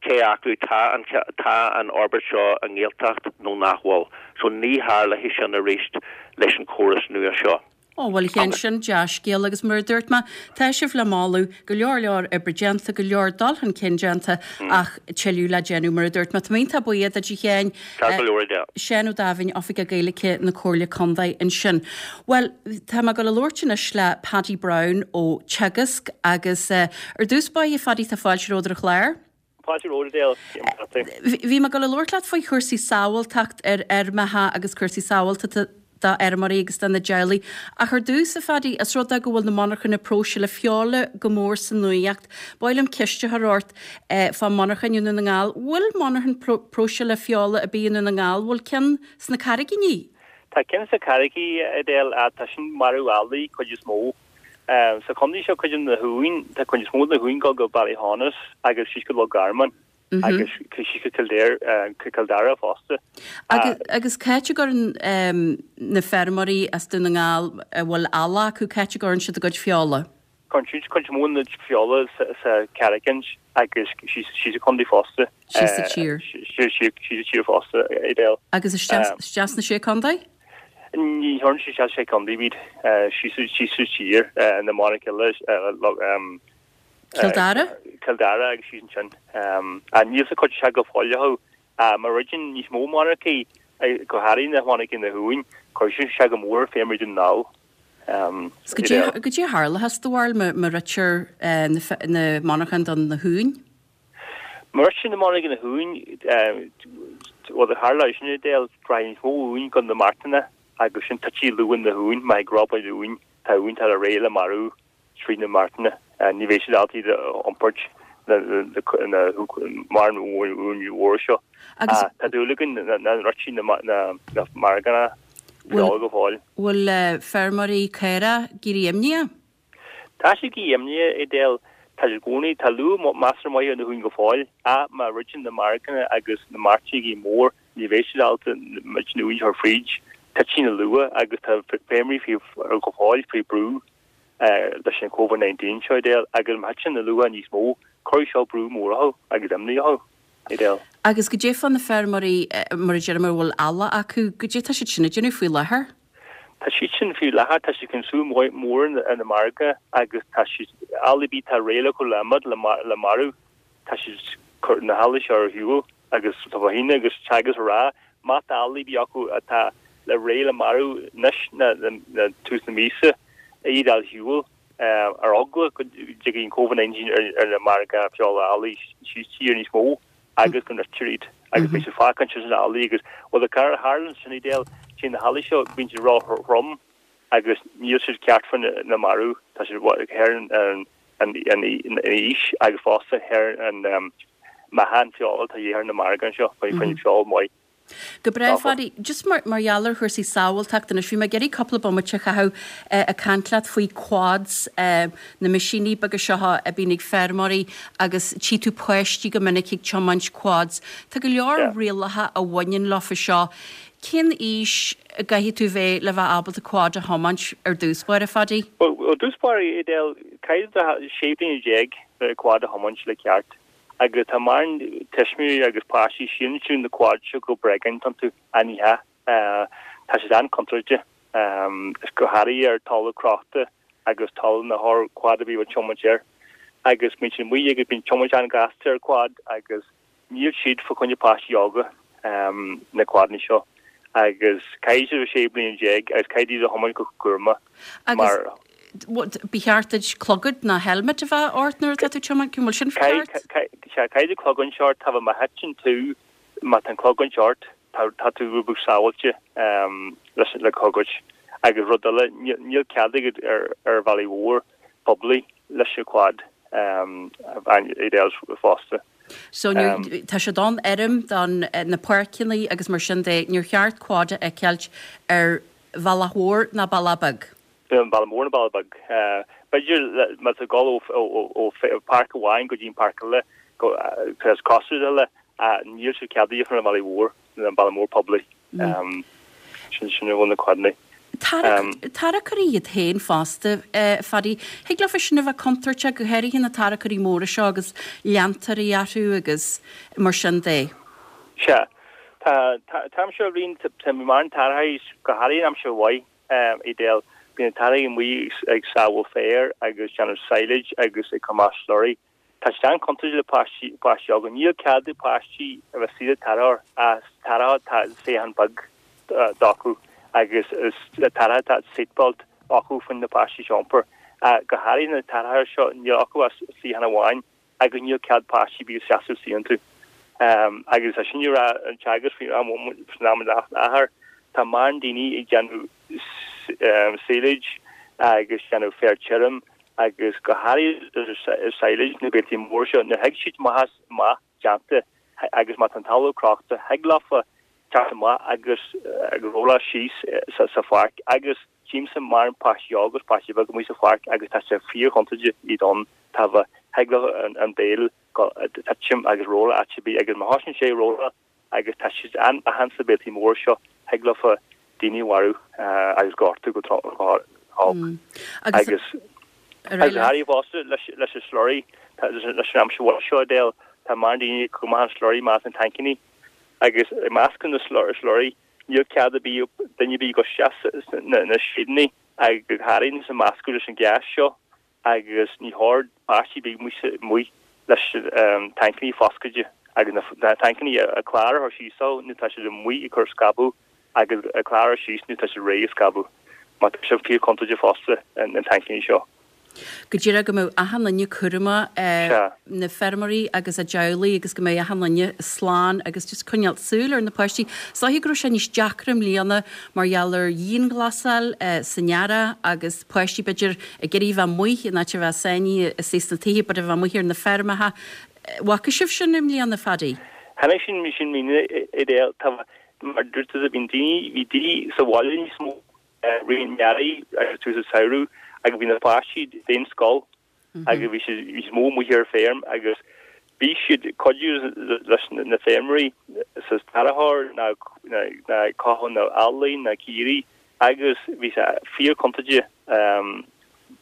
cé acu tá an tá an fhorbairt seo i nGaeltacht nó nach bhfuil. So ní tharlóidh sin arís leis an chóras nua seo. Ó, bhuel, a Sheáin, sin dea-scéal agus mar a dúirt mé, tá sibh le moladh, go leor leor oibre déanta, go leor dul chun cinn déanta ach tuilleadh le déanamh mar a dúirt mé. Tá mé iontach buíoch duit a Sheáin. Ceart go leor, yeah. Seán Ó Dáimhín, Oifigeach Gaeilge na Comhairle Contae ansin. Bhuel, tá mé ag dul a labhairt anois le Paddy Browne ó Teagasc agus ar dtús báire, a Phaddy, tá fáilte romhat ar an chlár. Fáilte romhat Edel. Bhí mé ag dul a labhairt leat faoi chúrsaí sábháilteacht ar fheirmeacha agus cúrsaí sábháilteachta do fheirmeoirí agus do na teaghlaigh. Ach ar dtús, a Phaddy, os rud é go bhfuil na monarchana próiseála feola go mór sa nuaíocht, ba mhaith liom ceist a chur ort fá monarchain i nDún na nGall. Bhfuil monarchan próiseála feola ar bith i Ndún na nGall? Bhfuil ceann sna Carraigíní? Tá ceann sna Carraigí, Edel, tá sin marú eallaigh cuid is mó. Sa chontae seo cuid de na huain, tá cuid is mó de na huain ag dul go Ballyhaunis agus síos go Loch Garman. agus síos go Kildare, Cill Dara fosta. Agus c'áit a gcuireann na feirmeoirí as Dún na nGall a bhfuil eallach acu, c'áit a gcuireann siad a gcuid feola? Cuireann siad cuid mhór na feola sa Carraigín agus síos sa chontae fosta. Síos sa tír. Síos sa tír fosta, Edel. Agus isteach sna Sé Contae? Ní chuireann siad isteach Sé Contae, bíd síos sa tír, na monarcha eile, Cill Dara? Cill Dara agus síos ansin. Níl sa chuid seo go fóill acu. Má dhruideann níos mó monarchaí, go háirithe na monarchaí na huain, cuirfidh sé go mór ar feirmeoirí Dhún na nGall. Goidé a tharlóchas do bharúil má dhruidtear na monarchain do na huain? Má dhruidtear na monarchain na huain, rud a tharlóidh sin Edel, rachaidh níos mó uain go na martanna agus sin titfidh luach na huain, má thig robáil uain, tá uain atá réidh le marú. Tríd na martanna. Ní bheidh siad ábalta iad a iompairt na mórán uain mhór seo. Tá dúil againn nach ndruidfidh na marganna feola go fóill. Bhfuil feirmeoirí caorach ag éirí imníoch? Tá siad ag éirí imníoch, Edel. Tá siad i gcónaí. Tá luach measartha maith ar na huain go fóill. Ach má dhruideann na marganna agus na mairtigh ag éirí mór, ní bheidh siad ábalta na huain a chur fríd. Titfidh na luach agus tá feirmeoirí go fóill faoi brú. leis an Covid nineteen seo, Edel, agus má thiteann na luacha níos mó, cuirfidh seo brú mór orthu agus imní orthu, Edel. Agus goidé fá na feirmeoirí, mar a deirim, a bhfuil eallach acu, goidé tá siad sin ag déanamh faoi láthair? Tá siad sin faoi láthair, tá siad ag súil mór ar na margaidh agus tá siad, eallaigh ar bith atá réidh le cur le imeacht le marú, tá siad ag cur na heallaigh seo ar shiúl agus tá fá choinne agus Teagasc ag rá má tá eallaigh ar bith acu atá le réidh le marú anois ná tús na míosa, iad a fháil ar shiúl ar eagla go dtiocfaidh an Covid nineteen ar na margaidh feola eallaigh síos tír níos mó agus go ndruidtear iad agus beidh siad fágtha ansin sna eallaigh agus bhuel a tharlaíonn sin Edel téann na heallaigh seo bíonn siad ró-throm agus níl siad ceart fá na marú tá siad thar an an aois agus fosta thar an meáchan feola atá de dhíth ar na margaidh anseo faoi feoil maith. Go breá, Phaddy. Just mar mar gheall ar chúrsaí sábháilteachta anois, bhí mé ag iarraidh cúpla bomaite a chaitheamh ag caint leat faoi quads, na meaisíní beaga seo a bíonn ag feirmeoirí agus tchí tú páistí go minic ag tiomáint quads. Tá go leor rialacha a bhaineann leofa seo. Cén aois a gcaithfidh tú bheith le bheith ábalta quad a thiomáint ar dtús báire, Phaddy? Bhuel, ar dtús báire, Edel, caithfidh tú bheith sé bliana déag le quad a thiomáint le ceart. Agus tá mórán tuismitheoirí agus páistí síneann siad na quads seo go bréagáin iontu, ach ní hea. Tá siad an-chontúirteach. Is go háirithe ar talamh crochta agus talamh nach chóir quad a bheith á tiomáint air. Agus bíonn siad amuigh agus bíonn tiomáint an-ghasta ar quad agus níl siad fá choinne páistí óga na quadanna seo. Agus caithfidh siad a bheith sé bliana déag agus caithfidh iad a thiomáint go cúramach mar. Ba cheart duit clogad ná helmet a bheith ort nuair atá tú ag tiomáint, an bhfuil sin ceart? Sea, caithfidh tú clogaint ort, tá má thiteann tú, má tá an clogaint ort, tá tú rud beag sábháilte leis le clogaint. Agus rud eile, níl cead agat ar bhealaí mhór poiblí leis an quad fosta. So tá sé don fheirm, don na páirceanna agus mar sin de, níor cheart quad a fheiceáilt ar bhealach mhór ná bealach beag. Bealach mór ná bealach beag. B'fhéidir má tá ag dul ó pháirc amháin go dtí an páirc eile, is cosúil eile, níl sé ceadaithe ar an bhealaí mhór, an bealach mór poiblí. Sin sin a bhfuil na quadanna. Tarracóirí iad féin fosta, Phaddy. Thig leofa sin a bheith contúirteach, go háirithe na tarracóirí móra seo agus leantóirí orthu agus mar sin de. Sea. Tá tá aimsir bhíonn tá mórán tarracóirí go háirithe an aimsir mhaith Edel. Bíonn na tarracóirí amuigh ag sábháil féir agus déanamh silage agus ag cur amach slurry. Tá sé an-chontúirteach le páistí páistí óga. Níl cead ag páistí a bheith istigh sa tarracóir ach tarracóir tá suíochán beag acu agus tarracóir tá seatbelt acu chun na páistí a iompar. Go háirithe na tarracóirí seo níl acu ach suíochán amháin agus níl cead páistí bheith ag seasamh istigh iontu. Agus é sin a rá an teagasc faoin am i láthair, tá mórán daoine ag déanamh silage agus déanamh féar tirim agus go háirithe silage na béiltí mór seo nuair a thig siad amach amach déanta agus má tá an talamh crochta thig leofa teacht amach agus rolláil síos sa pháirc agus tchímse mórán páistí óg agus páistí beag amuigh sa pháirc agus tá sé fíorchontúirteach iad ann tá thig leo an béal titim agus rolláil áit ar bith agus má thosaíonn sé rolláil agus tá siad an-leathan sna béaltaí mór seo thig leofa daoine a mharú agus gortú go holc agus agus háirithe fosta leis an slurry leis an aimsir mhaith seo Edel tá mórán daoine ag cur amach an slurry amach as na tancannaí agus ag meascadh na slurry níl cead ar bith duine ar bith dul isteach sna seideanna agus go háirithe sa meascadh leis an gas seo agus ní chóir páistí bheith amuigh leis tancannaí foscailte agus na tancannaí a clár a chur síos ann nuair tá siad amuigh ag cur scabadh agus a clár síos nuair tá siad réidh ag scabadh mar tá sé fíorchontúirteach fosta na tancannaí seo. Go díreach go mbeadh achan duine cúramach, na feirmeoirí agus a dteaghlaigh agus go mbeidh achan duine slán agus just coinneáil súil ar na páistí. Is dóiche go raibh sé níos deacra i mbliana mar gheall ar dhianghlasáil san earrach agus páistí b'fhéidir ag iarraidh bheith amuigh in áit a bheith sáinnithe istigh sna tithe but a bheith amuigh ar na feirmeacha. Bhfaca sibh sin i mbliana, Phaddy? Tháinig sin sin Edel tá mar dúirt tú bhí daoine bhí daoine sa bhaile níos mó rith an earraigh agus tús an samhradh agus bhí na páistí d'aon scoil agus bhí siad níos mó amuigh ar feirm agus bhí siad ag cuidiú leis na feirmeoirí sa tarracóir ná ná cothú na eallaí na caoirigh agus bhí sé fíorchontúirteach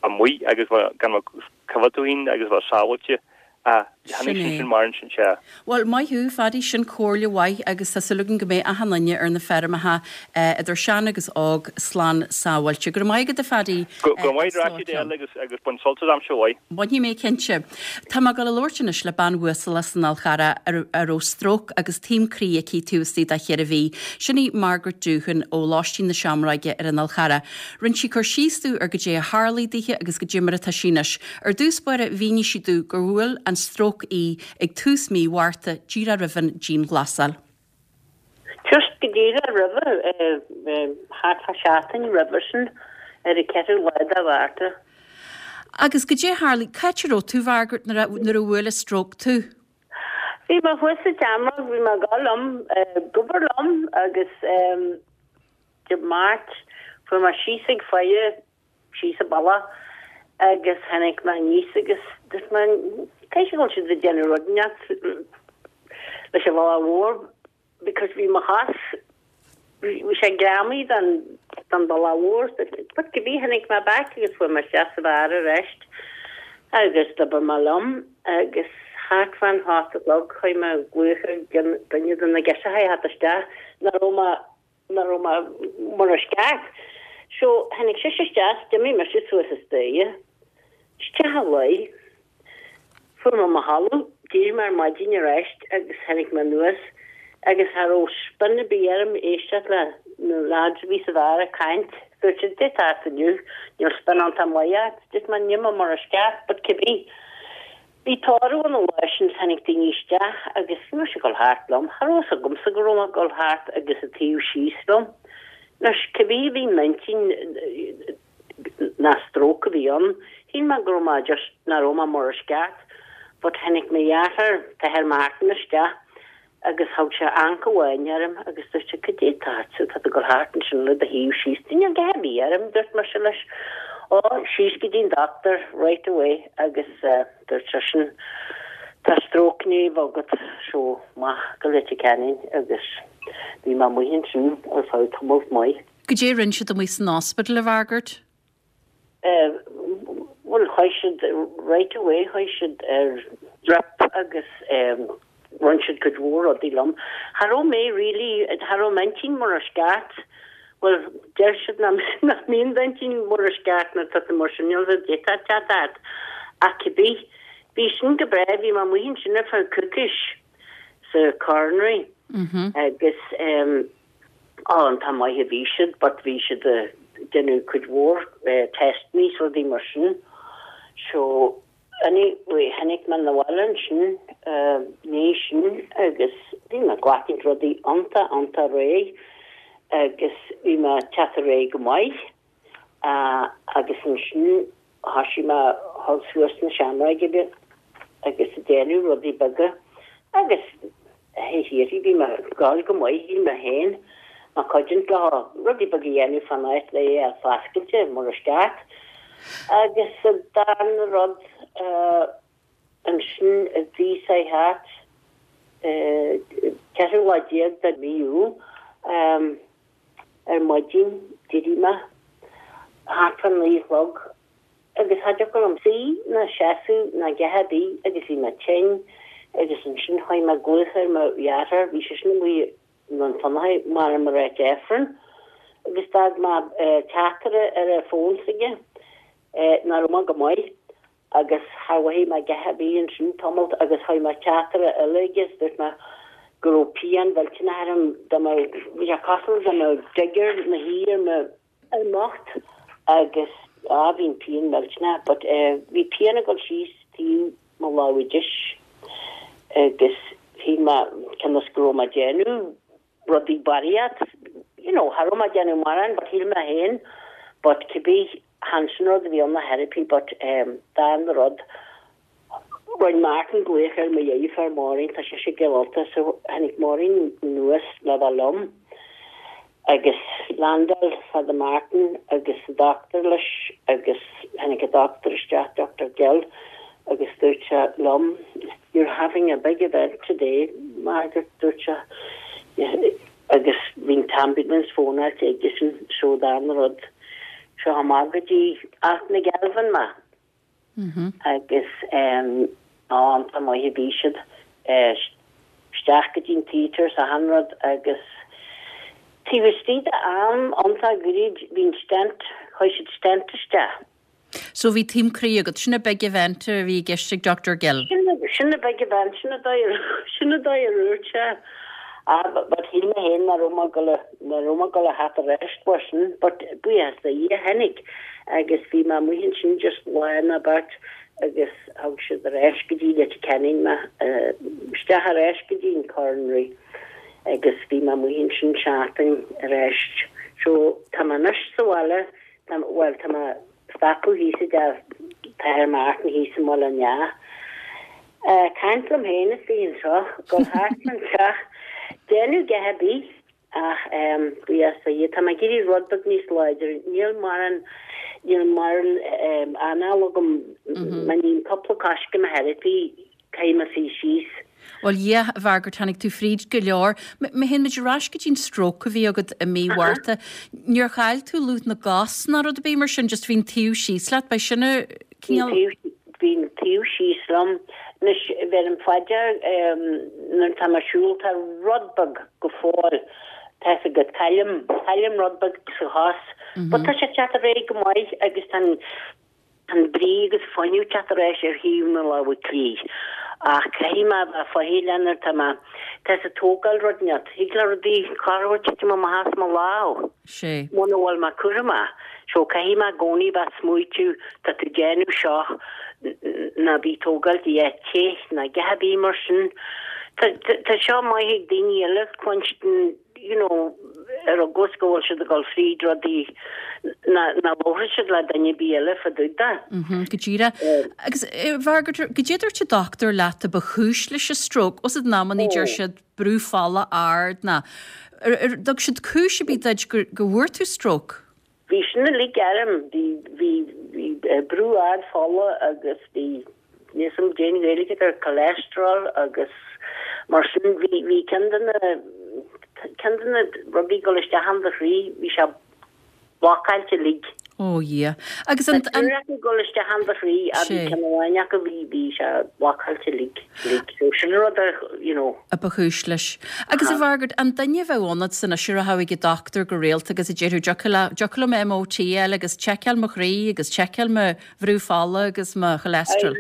amuigh agus gan coimhéad tú féin agus bheith sábháilte. Ah, Sin tháinig sin é. sin mar sin sea. Bhuel, maith thú, Phaddy, sin comhairle mhaith agus tá súil againn go mbeidh achan duine ar na feirmeacha, idir sean agus óg, slán sábháilte. Go raibh maith agat, a Phaddy. Go raibh maith agat, Edel, agus agus bain sult as aimsir mhaith. Bainfidh mé cinnte. Tá mé ag dul a labhairt anois le bean uasal as an Fhál Charrach a raibh stróc agus taom croí aici taobh istigh de cheithre mhí. Sin í Margaret Doohan ó Lóistín na Seamróige ar an Fhál Charrach. Rinne sí cur síos domh ar goidé a tharlaigh dithe agus goidé mar atá sí anois. Ar dtús báire mhínigh sí domh gur bhuail an stróc í ag tús mí Mhárta díreach roimh an dianghlasáil. Just go díreach roimhe, thart fá seachtain roimhe sin, ar an ceathrú lá de Mhárta. Agus goidé a tharlaigh, cá háit a raibh tú, Mhargaret, nuair a bhuail an stróc tú? Bhí mé thuas sa tSeamróg, bhí mé ag dul liom, ag obair liom agus Dé Máirt fuair mé síos ag faire síos an bealach agus tháinig mé aníos agus dúirt mé caithfidh go bhfuil siad ag déanamh rud inteacht leis an bhealach mhór because bhí mo chos bhí sé greamaithe den den bhealach mhór but cibé tháinig mé back agus fuair mé isteach sa bheár arís agus d'obair mé liom agus thart fán hocht a chlog chuaigh mé ag glaoch ar duine de na girseachaí a theacht isteach nach raibh mé nach raibh mé mar is ceart. So tháinig sise isteach, d'imigh mise suas an staighre, isteach a luí, fuair mé mo chodladh, d'éirigh mé ar maidin arís agus tháinig mé anuas agus cha raibh spion ar bith orm éisteacht le na lads a bhí sa bheár ag caint. Dúirt siad, Cad é atá ort inniu, níl spion iontach maith ort. Dúirt mé, Níl mé mar is ceart, but cibé. Bhí tórramh ann an lá sin, tháinig daoine isteach agus bhí mise ag dul thart liom. Cha raibh fhios agamsa go raibh mé ag dul thart agus an taobh síos liom. Anois, cibé a bhí i m'intinn nach stróc a bhí ann, shíl mé go raibh mé just, nach raibh mé mar is ceart. But tháinig mo dheartháir, t-athair Martin, isteach agus thug sé anca amháin orm agus dúirt sé, Cad é atá ortsa, tá tú ag dul thart ansin le do thaobh síos. Níl a dhath ar bith orm, dúirt mise leis. Ó, síos go dtí an doctor right away agus dúirt seisean, Tá stróc i ndiaidh a bheith agat, so amach go Leitir Ceanainn agus bhí mé amuigh ansin ar feadh tamalt maith. Goidé a rinne siad amuigh san ospidéal, a Mhargaret? Bhuel, chuaigh siad right away, chuaigh siad ar drip agus rinne siad cuid mhór rudaí liom. Cha raibh mé really, cha raibh m'intinn mar is ceart. Bhuel, deir siad nach mbíonn d'intinn mar is ceart nuair atá tú mar sin, níl a fhios agat cad é atá ort. Ach cibé, bhí sin go breá, bhí mé amuigh ansin ar feadh coicís sa coronary agus á, an-tá maith a bhí siad but bhí siad ag déanamh cuid mhór testanna is rudaí mar sin. So anyway tháinig mé 'na bhaile ansin ndiaidh sin agus bhí mé ag glacadh rudaí iontach iontach réidh agus bhí mé ag teacht ar aghaidh go maith agus ansin thoisigh mé a dhul suas na seamróige agus ag déanamh rudaí beaga agus hé thiar bhí mé ag gabháil go maith shíl mé féin mé cuidiúint leo rudaí beaga a dhéanamh fán áit le é a foscailte mar is ceart. Agus an darna rud ansin a bhí sé thart ceathrú lá déag de mhí Iúil ar maidin d'éirigh mé thart fá naoi a chlog agus cha dtiocfadh liom suí ná seasamh ná a dhath ar bith agus bhí mé tinn agus ansin chuaigh mé ag glaoch ar mo dheartháir, bhí seisean amuigh i nDún Fionnachaidh, mar mar a Aifreann agus d'fhág mé teachtaireacht ar an bhfón s'aige nach raibh mé go maith agus char mhothaigh mé a dhath ar bith ansin tamalt agus chuir mé teachtaireacht eile aige is dúirt mé go raibh pian mhillteanach orm dá mbeadh, bhí sé cosúil dá mbeadh digger ina shuí ar mo ar m'ucht agus á bhí an pian millteanach but bhí pian ag dul síos taobh mo lámha deis agus shíl mé cionn is go raibh mé ag déanamh rudaí barraíocht you know cha raibh mé ag déanamh mórán but shíl mé féin but cibé chan sin rud a bhí ann na therapy but darna rud Rinne Martin glaoch ar mo dheirfiúr Maureen tá sise i gCill Ulta so tháinig Maureen anuas le bheith liom agus landáil Father Martin agus an doctor leis agus tháinig an doctor isteach Doctor Gill agus dúirt sé liom you're having a big event today Margaret dúirt sé agus bhí an t-ambulance fónáilte aigesean so darna rud seo amach go dtí Allt na gCealbhan mé agus an-tá maith a bhí siad isteach go dtí an theatre is achan rud agus taobh istigh de am iontach gairid bhí an stent, chuir siad stent isteach. So bhí taom croí agat, sin an big event a bhí i gceist ag Doctor Gill? Sin an big event, sin an dóigh, sin an dóigh a dúirt sé. Ah, but shíl mé féin nach raibh mé ag dul, nach raibh mé ag dul a theacht ar ais mar sin, but buíochas do Dhia tháinig agus bhí mé amuigh ansin just lá nó beirt agus thug siad ar ais go dtí Leitir Ceanainn mé, isteach ar ais go dtí an coronary agus bhí mé amuigh ansin seachtain ar ais. So tá mé anois sa bhaile, tá, bhuel tá mé stopadh thíos i dteach Father Martin thíos i mBaile an Eá. Caint liom féin is bhí anseo, dul thart an teach, déanamh a dhath ar bith ach buíochas do Dhia, tá mé ag éirí rud beag níos láidre, níl mórán, níl mórán anáil agam, má ním cúpla coiscéim therapy, caithfidh mé suí síos. Bhuel, yeah, a Mhargaret, tháinig tú fríd go leor. Má théann muid ar ais go dtí an stroke a bhí agat i mí Mhárta, níor chaill tú lúth na gcos ná rud ar bith mar sin, just bhí an taobh síos leat, b'é sin a cineál... Bhí an taobh síos liom. Anois, bheirim faoi dear nuair atá mé ag siúl, tá rud beag go fóill, tá fhios agat, caillim, caillim rud beag sa chos But tá sé teacht ar aghaidh go maith agus tá an an brí agus fuinneamh teacht ar ais ar thaobh na láimhe clí. Ach caithfidh mé a bheith faichilleach nuair tá mé tá ag tógáil rud inteacht. Thig le rudaí corruair titim amach as mo lámh. Sé. Muna bhfuil mé cúramach. So caithfidh mé i gcónaí bheith ag smaoitiú tá tú ag déanamh seo ná bí ag tógáil a dhath te ná a dhath ar bith mar sin. Tá tá seo maith ag daoine eile cluinstin you know, ar eagla go bhfuil siad ag dul fríd rudaí nach labhróidh siad le duine ar bith eile fá dtaobh de. Mhm, go díreach. Agus a Mhargaret, goidé a dúirt an dochtúir leat a ba chúis leis an stroke, os in amannaí deir siad brú fola ard ná ar ar thug siad cúis ar bith duit go go bhfuair tú stroke? Bhí sin uilig orm, bhí bhí bhí brú ard fola agus bhí níl 'fhios a'm cén Ghaeilge ar cholesterol agus mar sin bhí bhí ceann de na ceann de na rudaí ag dul isteach in do chroí bhí sé blocáilte uilig. Ó Dhia. Agus an an Tá ag dul isteach in do chroí a bhí ceann amháin acu bhí bhí sé blocáilte uilig uilig. So sin rud a you know. a ba chúis leis. Agus a Mhargaret, an duine a bheadh ionat san anois a rachadh ag an dochtúir go rialta agus a déarfadh dtiocfadh le dtiocfadh liom MOT a fháil agus tseiceáil mo chroí agus tseiceáil mo bhrú fola agus mo cholesterol.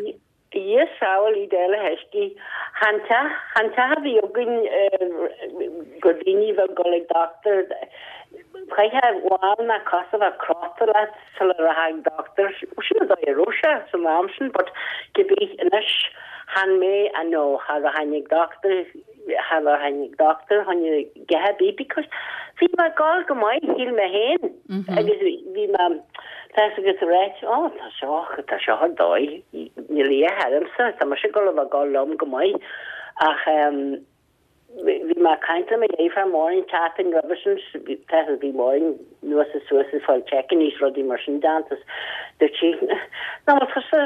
Dia sábháil iad eile theiscí. Chan teach chan teach a bhí againn gur daoine bheith ag dul ag dochtúir chaithfeá lámh ná cos a bheith crosta leat sula rachfá ag dochtúir. Sin an dóigh a raibh sé san am sin but cibé anois chan mé I know cha rachainn ag dochtúir cha rachainn ag dochtúir chun a dhath ar bith because bhí mé ag dul go maith shíl mé féin agus bhí mé tá 'fhios agat right ó tá seo tá seo ar dóigh níl a dhath ormsa tá mise ag dul a bheith ag dul liom go maith ach ehm bhí mé ag caint le mo dheirfiúr Máirín tseachtain roimhe sin tá bhí Máirín anuas is suas ag fáil checkanna is rudaí mar sin déanta is dúirt sí nach bhfuil tusa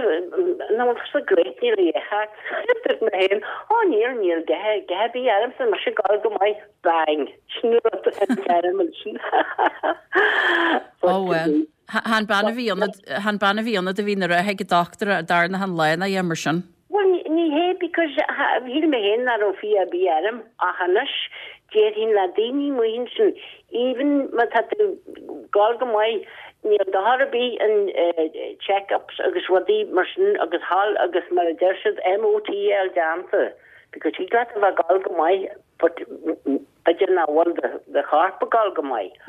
nach bhfuil tusa great níl a dhath ort dúirt mé féin ó níl níl a dhath a dhath ar bith ormsa tá mise ag dul go maith bang sin rud a deirim ansin. Ó well. Chan bean a bhí ionat chan bean a bhí ionat a bhí ina rachadh ag an dochtúir a dar na han lá ná é mar sin. Bhuel ní hé because shíl mé féin nach raibh fiach ar bith orm ach anois déarfainn le daoine amuigh ansin even má tá tú ag dul go maith níl dochar ar bith in check-ups agus rudaí mar sin agus thall agus mar a deir siad MOT a fháil déanta because thig leat a bheith ag dul go maith but b'fhéidir nach bhfuil do chorp ag dul go maith.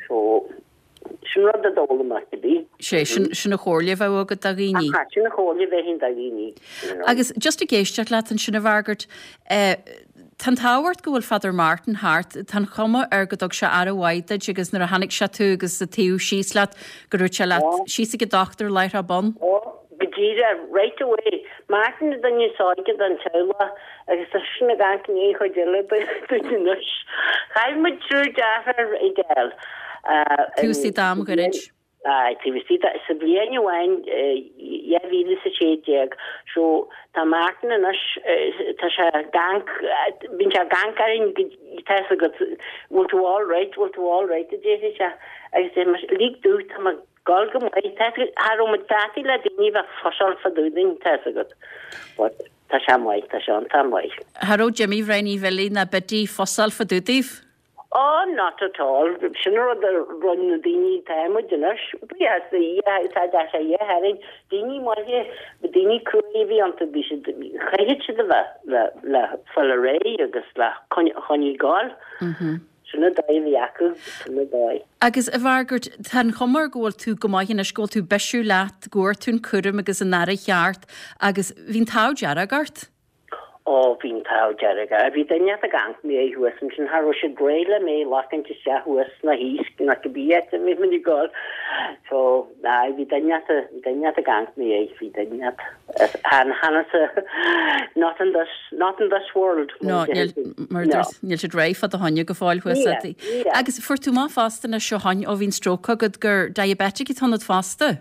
So sin rud a d'fhoghlaim mé cibé. Sé, sin sin an chomhairle a bheadh agat do dhaoine. Aha, sin an chomhairle a bhéarfainn do dhaoine. You know. Agus just ag éisteacht leat ansin a Mhargaret, eh, tá an t-ádh ort go bhfuil Father Martin thart, tá an chuma air go dtug sé aire mhaith duit agus nuair a chonaic sé tú agus ag taobh síos leat go raibh sé leat síos ag an dochtúir láithreach bonn. Ó, go díreach, right away. Martin an duine is óige den teaghlach agus tá seisean ag amharc i ndiaidh an chuid eile dúinn anois. Chaill muid triúr deartháir Edel. Taobh istigh d'am ghairid. Aye, taobh istigh de, sa bhliain amháin, dhá mhíle is a sé déag. So, tá Martin anois, tá sé ag amharc, bíonn sé ag amharc orainn go, tá 'fhios agat, bhfuil tú all right, bhfuil tú all right, a déarfaidh sé. Agus deir mise, lig domh, tá mé ag dul go maith, tá 'fhios agat, cha raibh muid deataigh le daoine a bheith fusáil fá dtaobh dínn, tá 'fhios agat. But, tá sé maith, tá sé iontach maith. Cha raibh Jimmy Bhrian Uí Bhilí ná Biddy fusáil fá dtaobh daoibh? Oh, not at all. Sin an rud a rinne na daoine atá muid anois. Buíochas do Dhia, tá sé a dhíth orainn. Daoine maithe, daoine cruaidh a bhí iontu, bhí siad, chaithfeadh siad a bheith le, le fáil ar aghaidh agus le coinneáil ag gabháil. Sin an dóigh a bhí acu, sin an dóigh. Agus a Mhargaret, tá an chuma air go bhfuil tú go maith anois, go bhfuil tú bisiúil leat, go bhfuair tú an cúram agus an aire cheart agus bhí an t-ádh dearg ort. Ó, bhí an t-ádh dearg. Bhí duine ag amharc i mo dhiaidh thuas ansin, cha raibh siad réidh le mé a ghlacaint isteach thuas ná thíos ná cibé áit a bhí muid ag dul. So, aye, bhí duine bhí duine ag amharc i mo dhiaidh, bhí duine chan chan as not in this, not in this world. No, níl, mar a dúirt, níl siad réidh fá do choinne go fóill thuas Níl, níl. Agus fuair tú amach fosta anois ó shoin, ó bhí an stroke agat gur diabetic atá ionat fosta.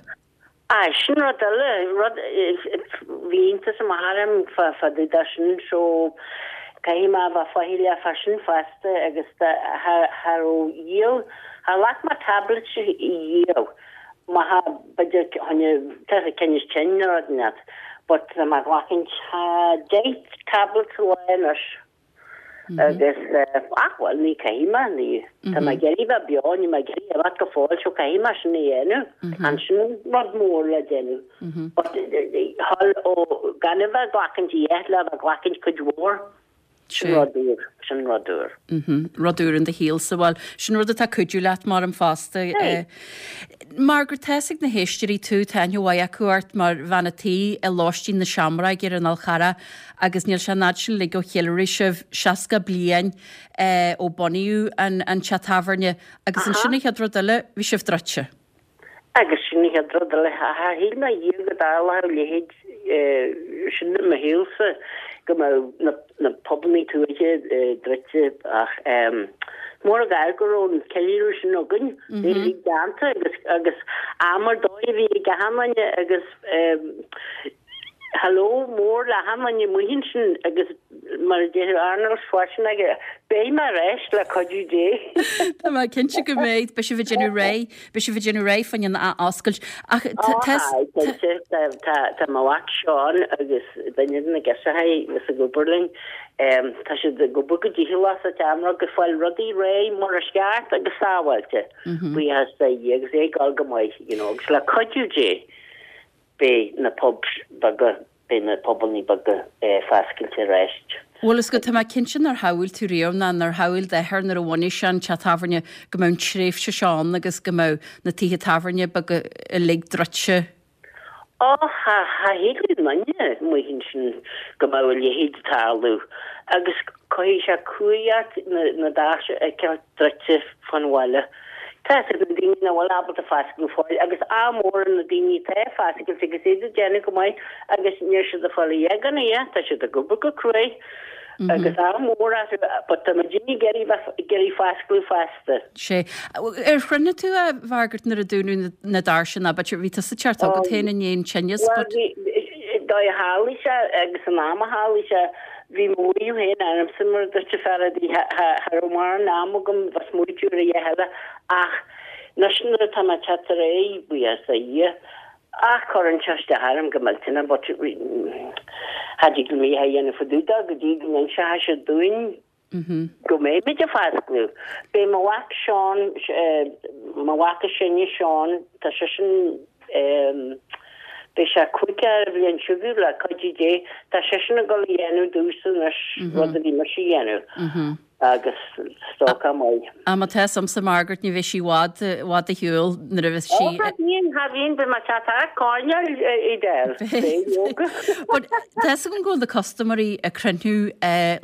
Aye, sin rud eile, rud, bhí iontas amach orm fá fá dtaobh de sin, so caithfidh mé a bheith faichilleach fá sin fosta agus cha cha raibh riamh, char ghlac mé tablets riamh, má tha b'fhéidir choinne tá sé tinneas tinn nó rud inteacht, but tá mé ag glacaint deich tablets a lá anois. Agus ach bhuel ní caithfidh mé ní tá mé ag iarraidh bheith beo ní mé ag iarraidh imeacht go fóill so caithfidh mé sin a dhéanamh. Ansin rud mór le déanamh. But thall ó gan a bheith ag glacaint a dhath le bheith ag glacaint cuid mhór. Sin rud úr, sin rud úr. Rud úr in do shaolsa, bhuel, sin rud atá ag cuidiú leat mar an fosta. Margaret, tá fhios ag na héisteoirí tú, tá aithne mhaith acu ort mar bhean a' tí i Lóistín na Seamróige ar an Fhál Charrach agus níl sé an fhad sin uilig ó cheiliúraigh sibh seasca bliain ó bunaíodh an an teach tábhairne agus ansin an chéad rud eile, bhí sibh druidte. Agus sin an chéad rud eile, char shíl mé riamh go dtarlódh a leithéid sin i mo shaolsa, go mbeadh na na pubannaí tuaithe druidte ach mór an gar go raibh an ceiliúradh sin againn, é uilig déanta agus agus am ar dóigh a bhí ag achan duine agus hello mór le achan duine amuigh ansin agus mar a déarfadh Arnold Schwarzenegger, beidh mé ar ais le cuidiú Dé. Tá mé cinnte go mbeidh, beidh sibh ag déanamh réidh, beidh sibh ag déanamh réidh fá choinne an athoscailt. Ach tá, tá, cinnte, tá, tá mo mhac Seán agus duine de na girseachaí a bhíos ag obair linn, tá siad ag obair go dícheallach sa tSeamróg ag fáil rudaí réidh mar is ceart agus sábháilte, buíochas do Dhia agus é ag dul go maith, you know, agus le cuidiú Dé. Beidh na pubs beaga, beidh na pubannaí beaga foscailte arís. Bhuel, is go, tá mé cinnte nár shamhail tú riamh ná nár shamhail d'athair nuair a bhunaigh sé an teach tábhairne go mbeadh an tréimhse seo ann agus go mbeadh na tithe tábhairne beaga uilig druidte. Ó, cha, cha shíl aon duine amuigh ansin go mbeadh a leithéid ag tarlú agus cuirfidh sé cumhaidh ort na, na doirse a fheiceáil druidte fán bhaile. Tá a fhios agat na daoine nach bhfuil ábalta foscladh go fóill agus ádh mór ar na daoine atá ag foscailt agus iad ag déanamh go maith agus níl siad ag fáil a dhath gan a dhath, tá siad ag obair go cruaidh agus ádh mór orthu but tá muidinne ag iarraidh bheith ag iarraidh foscladh fosta. Sé. Ar chruinnigh tú a Mhargaret nuair a dúnadh na doirse ná b'fhéidir bhí tusa ag teacht agat féin i ndiaidh an tinneas Bhuel but. bhí, dóigh a tharlaigh sé agus an am a tharlaigh sé Bhí maíomh féin ormsa mar a dúirt an fear adaí cha raibh mórán am agam bheith smaoitiú ar a dhath eile ach anois nuair atá mé ag teacht ar aghaidh, buíochas do Dhia, ach cuireann sé isteach orm go millteanach but cha dtig liom a dhath a dhéanamh fá dtaobh de go dtí go n-inseoidh siad dúinn go mbeimid ag foscladh. Beidh mo mhac Seán, mo mhac is sine Seán, tá seisean, Beidh sé caoga an bhliain seo chugainn le cuidiú Dé. Tá seisean ag dul a dhéanamh domhsa anois rud a bhí mise a dhéanamh agus is dócha maith. Á má tá fhios a'msa Margaret ní bheidh sí i bhfad i bhfad ar shiúl nuair a bheas sí. Ó cha bhíonn, cha bhíonn, beidh mé ag teacht thart coirnéal Edel. Beidh leoga. But tá fhios agam go bhfuil na custaiméirí ag cruinniú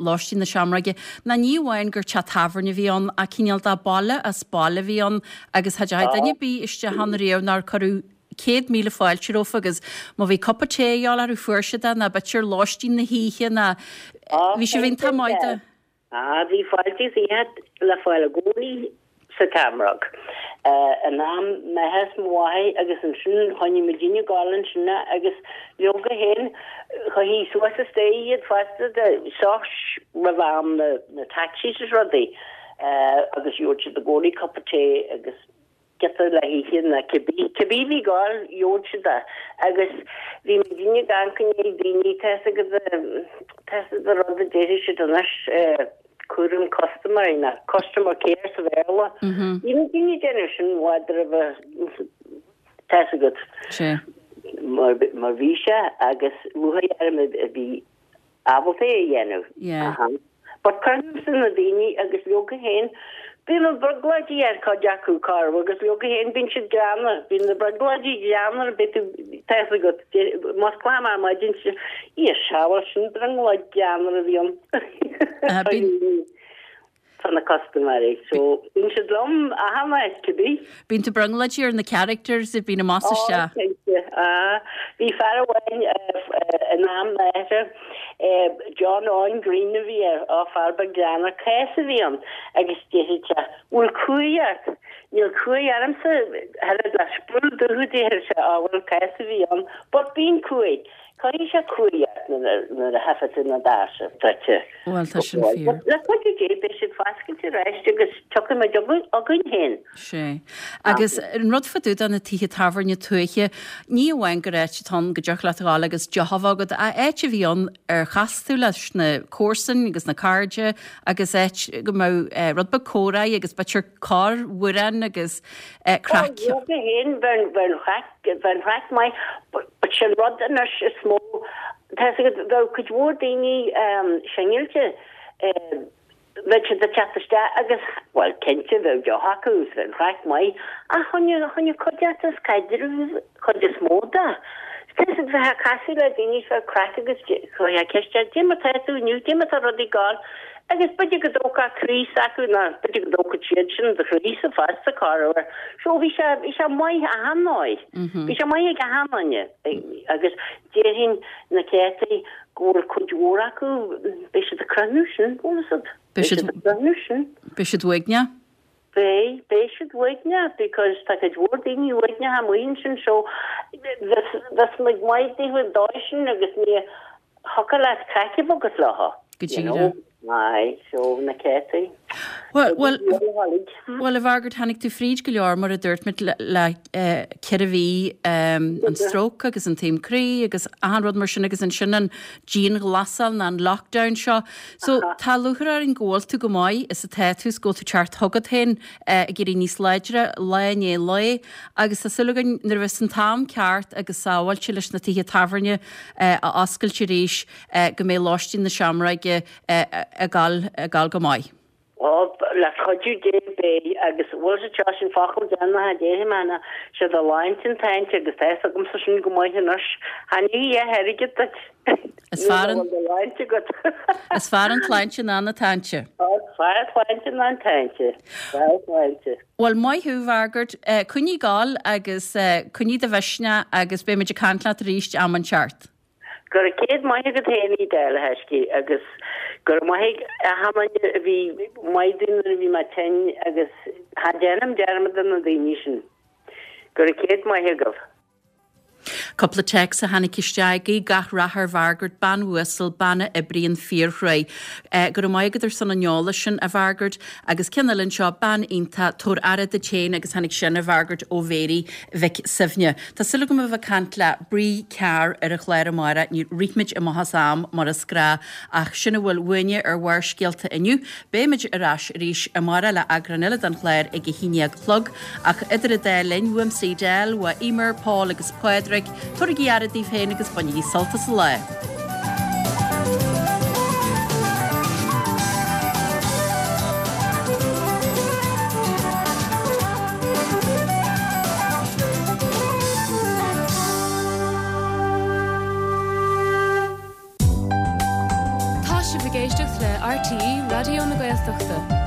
Lóistín na Seamróige ná ní amháin gur teach tábhairne a bhí ann ach cineál de baile as baile a bhí ann agus cha dteachaigh duine ar bith isteach ann riamh nár cuireadh céad míle fáilte rompu agus má bhí cupa tae a dhíobháil orthu fuair siad é ná b'fhéidir lóistín na hoíche ná bhí sibh iontach maith de. Ah, bhí fáilte is fiche le fáil i gcónaí sa tSeamróg. In am m'athar is mo mháthar agus ansin choinnigh muidinne ag gabháil ansin agus leoga féin chuirthí suas an staighre iad fosta de sos roimh am na na taxis is rudaí agus gheobhadh siad i gcónaí cupa tae agus giota le hithe ná cibé, cibé bhí ag gabháil, gheobhadh siad é. Agus bhí muidinne ag amharc i ndiaidh daoine, tá fhios agat, tá fhios agat an rud a déarfaidh siad anois, cúram custaiméirí ná customer care sa Bhéarla. Bhí muidinne ag déanamh sin i bhfad roimhe, tá fhios agat, mar, mar bhí sé agus lúcháir orm a bhí ábalta é a dhéanamh. Yeah. But cuimhnímse na daoine agus leoga féin, bíonn na brionglóidí ar chuid acu, corr, agus leoga féin bíonn siad greannmhar, bíonn na brionglóidí greannmhar, beidh tú, tá fhios agat, musclaim ar maidin, Dhia sábháil, sin brionglóid greannmhar a bhí ann. Bíonn. Tá na custaiméirí so bíonn siad liom achan áit, cibé. Bíonn tú brionglóidí ar na characters a bhíonn amach is isteach. Ó, cinnte. Ah, bhí fear amháin in am m'athar, John Owen Green a bhí air, á, fear beag greannmhar, cás a bhí ann agus déarfadh sé, bhfuil cumhaidh ort? Níl cumhaidh ormsa, oiread le sprúll dubh a déarfadh sé, á, bhuel, cás a bhí ann, but bíonn cumhaidh. Cuirfidh sé cumhaidh ort nuair a tchífidh tú na doirse druidte. Bhuel, tá sin fíor. Le cuidiú Dé, beidh siad oscailt arís agus tiocfaidh muid againn féin. Sé. Agus an rud fá dtaobh de na tithe tábhairne tuaithe, ní amháin gur áit atá ann go dtiocfadh leat a ghabháil agus deoch a bheith agat, ach áit a bhí ann ar chas tú leis na comharsain agus na cairde agus áit go mbeadh rud beag comhráidh agus b'fhéidir corr-amhrán agus craic. Ó, bheadh féin, bheadh an chraic, bheadh an chraic maith, but sin rud anois is mó, tá 'fhios agat, bheadh cuid mhór daoine singilte, bheadh siad ag teacht isteach agus, bhuel, cinnte, bheadh deoch acu is bheadh an chraic maith, ach choinnigh, choinnigh cuid acu as caidreamh, chuid is mó de. Tá 'fhios agat, bheifeá ag casadh le daoine is bheadh craic agus chuirfeá ceist air, cad é mar tá tú inniu, cad é mar tá rudaí ag gabháil, agus b'fhéidir go dtógfá croí s'acu nó b'fhéidir go dtógfadh siad sin do chroísa fosta, corruair. So bhí sé, bhí sé maith achan ndóigh. Bhí sé maith ag achan duine agus déarfainn na céadtaí go bhfuil cuid mhór acu, beidh siad ag croitheadh sin, bhfuil fhios agat. Beidh siad ag croitheadh sin. Beidh siad uaigneach. Beidh, beidh siad uaigneach because tá cuid mhór daoine uaigneach amuigh ansin so bheas, bheas muid maith daofa an dóigh sin agus ní thiocfadh leat craic a bheith agat leo. Go díreach. Aye, so na céadtaí. Bhuel, bhuel, bhuel, a Mhargaret, tháinig tú fríd go leor, mar a dúirt muid, le ceithre mhí, an stróc agus an taom croí agus achan rud mar sin agus ansin an dianghlasáil nó an lockdown seo. So tá lúcháir orainn go bhfuil tú go maith is atá tú is go bhfuil tú teacht chugat féin ag éirí níos láidre lá i ndiaidh lae agus tá súil againn nuair a bheas an t-am ceart agus sábháilte leis na tithe tábhairne a oscailt arís go mbeidh Lóistín na Seamróige ag gabháil, ag gabháil go maith. Ó, le cuidiú Dé beidh, agus bhfuil sé seo sin focal déanach a déarfaidh mé ná sé do shláinte an tsaint agus tá fhios agamsa sin go maith anois. Cha ní a dhath airgid duit. Is fearr an. Nuair a bhfuil do shláinte agat. Is fearr an tsláinte ná na táinte. Ó, is fearr an tsláinte ná an táinte. Is fearr an tsláinte. Bhuel, maith thú, Mhargaret. Coinnigh ag gabháil agus coinnigh do mhisneach agus beidh muid ag caint leat arís am inteacht. Go raibh céad maith agat féin Edel, a thaiscidh, agus go raibh maith ag achan duine a bhí maith dom nuair a bhí mé tinn agus cha déanaim dearmad de na daoine sin. Go raibh céad maith agaibh. Cúpla téacs a tháinig isteach, Guí gach rath ar Mhargaret, bean uasal, bean a oibríonn fíorchruaidh. Go raibh maith agat ar son an eolais sin, a Mhargaret. Agus ceann eile anseo, bean iontach, tabhair aire duit féin agus tháinig sin, a Mhargaret, ó Mhéirí Mhic Suibhne. Tá súil agam a bheith ag caint le Bree Carr ar an chlár amárach. Níor rith muid amach as am mar is gnáth ach sin a bhfuil uainne ar Bharrscéalta inniu. Beidh muid ar ais arís amárach le eagrán eile den chlár ag a haon déag a chlog ach idir an dá linn, uaimse Edel, uaidh Eimear, Paul agus Pádraig, tabhairigí aire daoibh féin agus bainigí sult as an lá. Tá sibh ag éisteacht le RTÉ Raidió na Gaeltachta.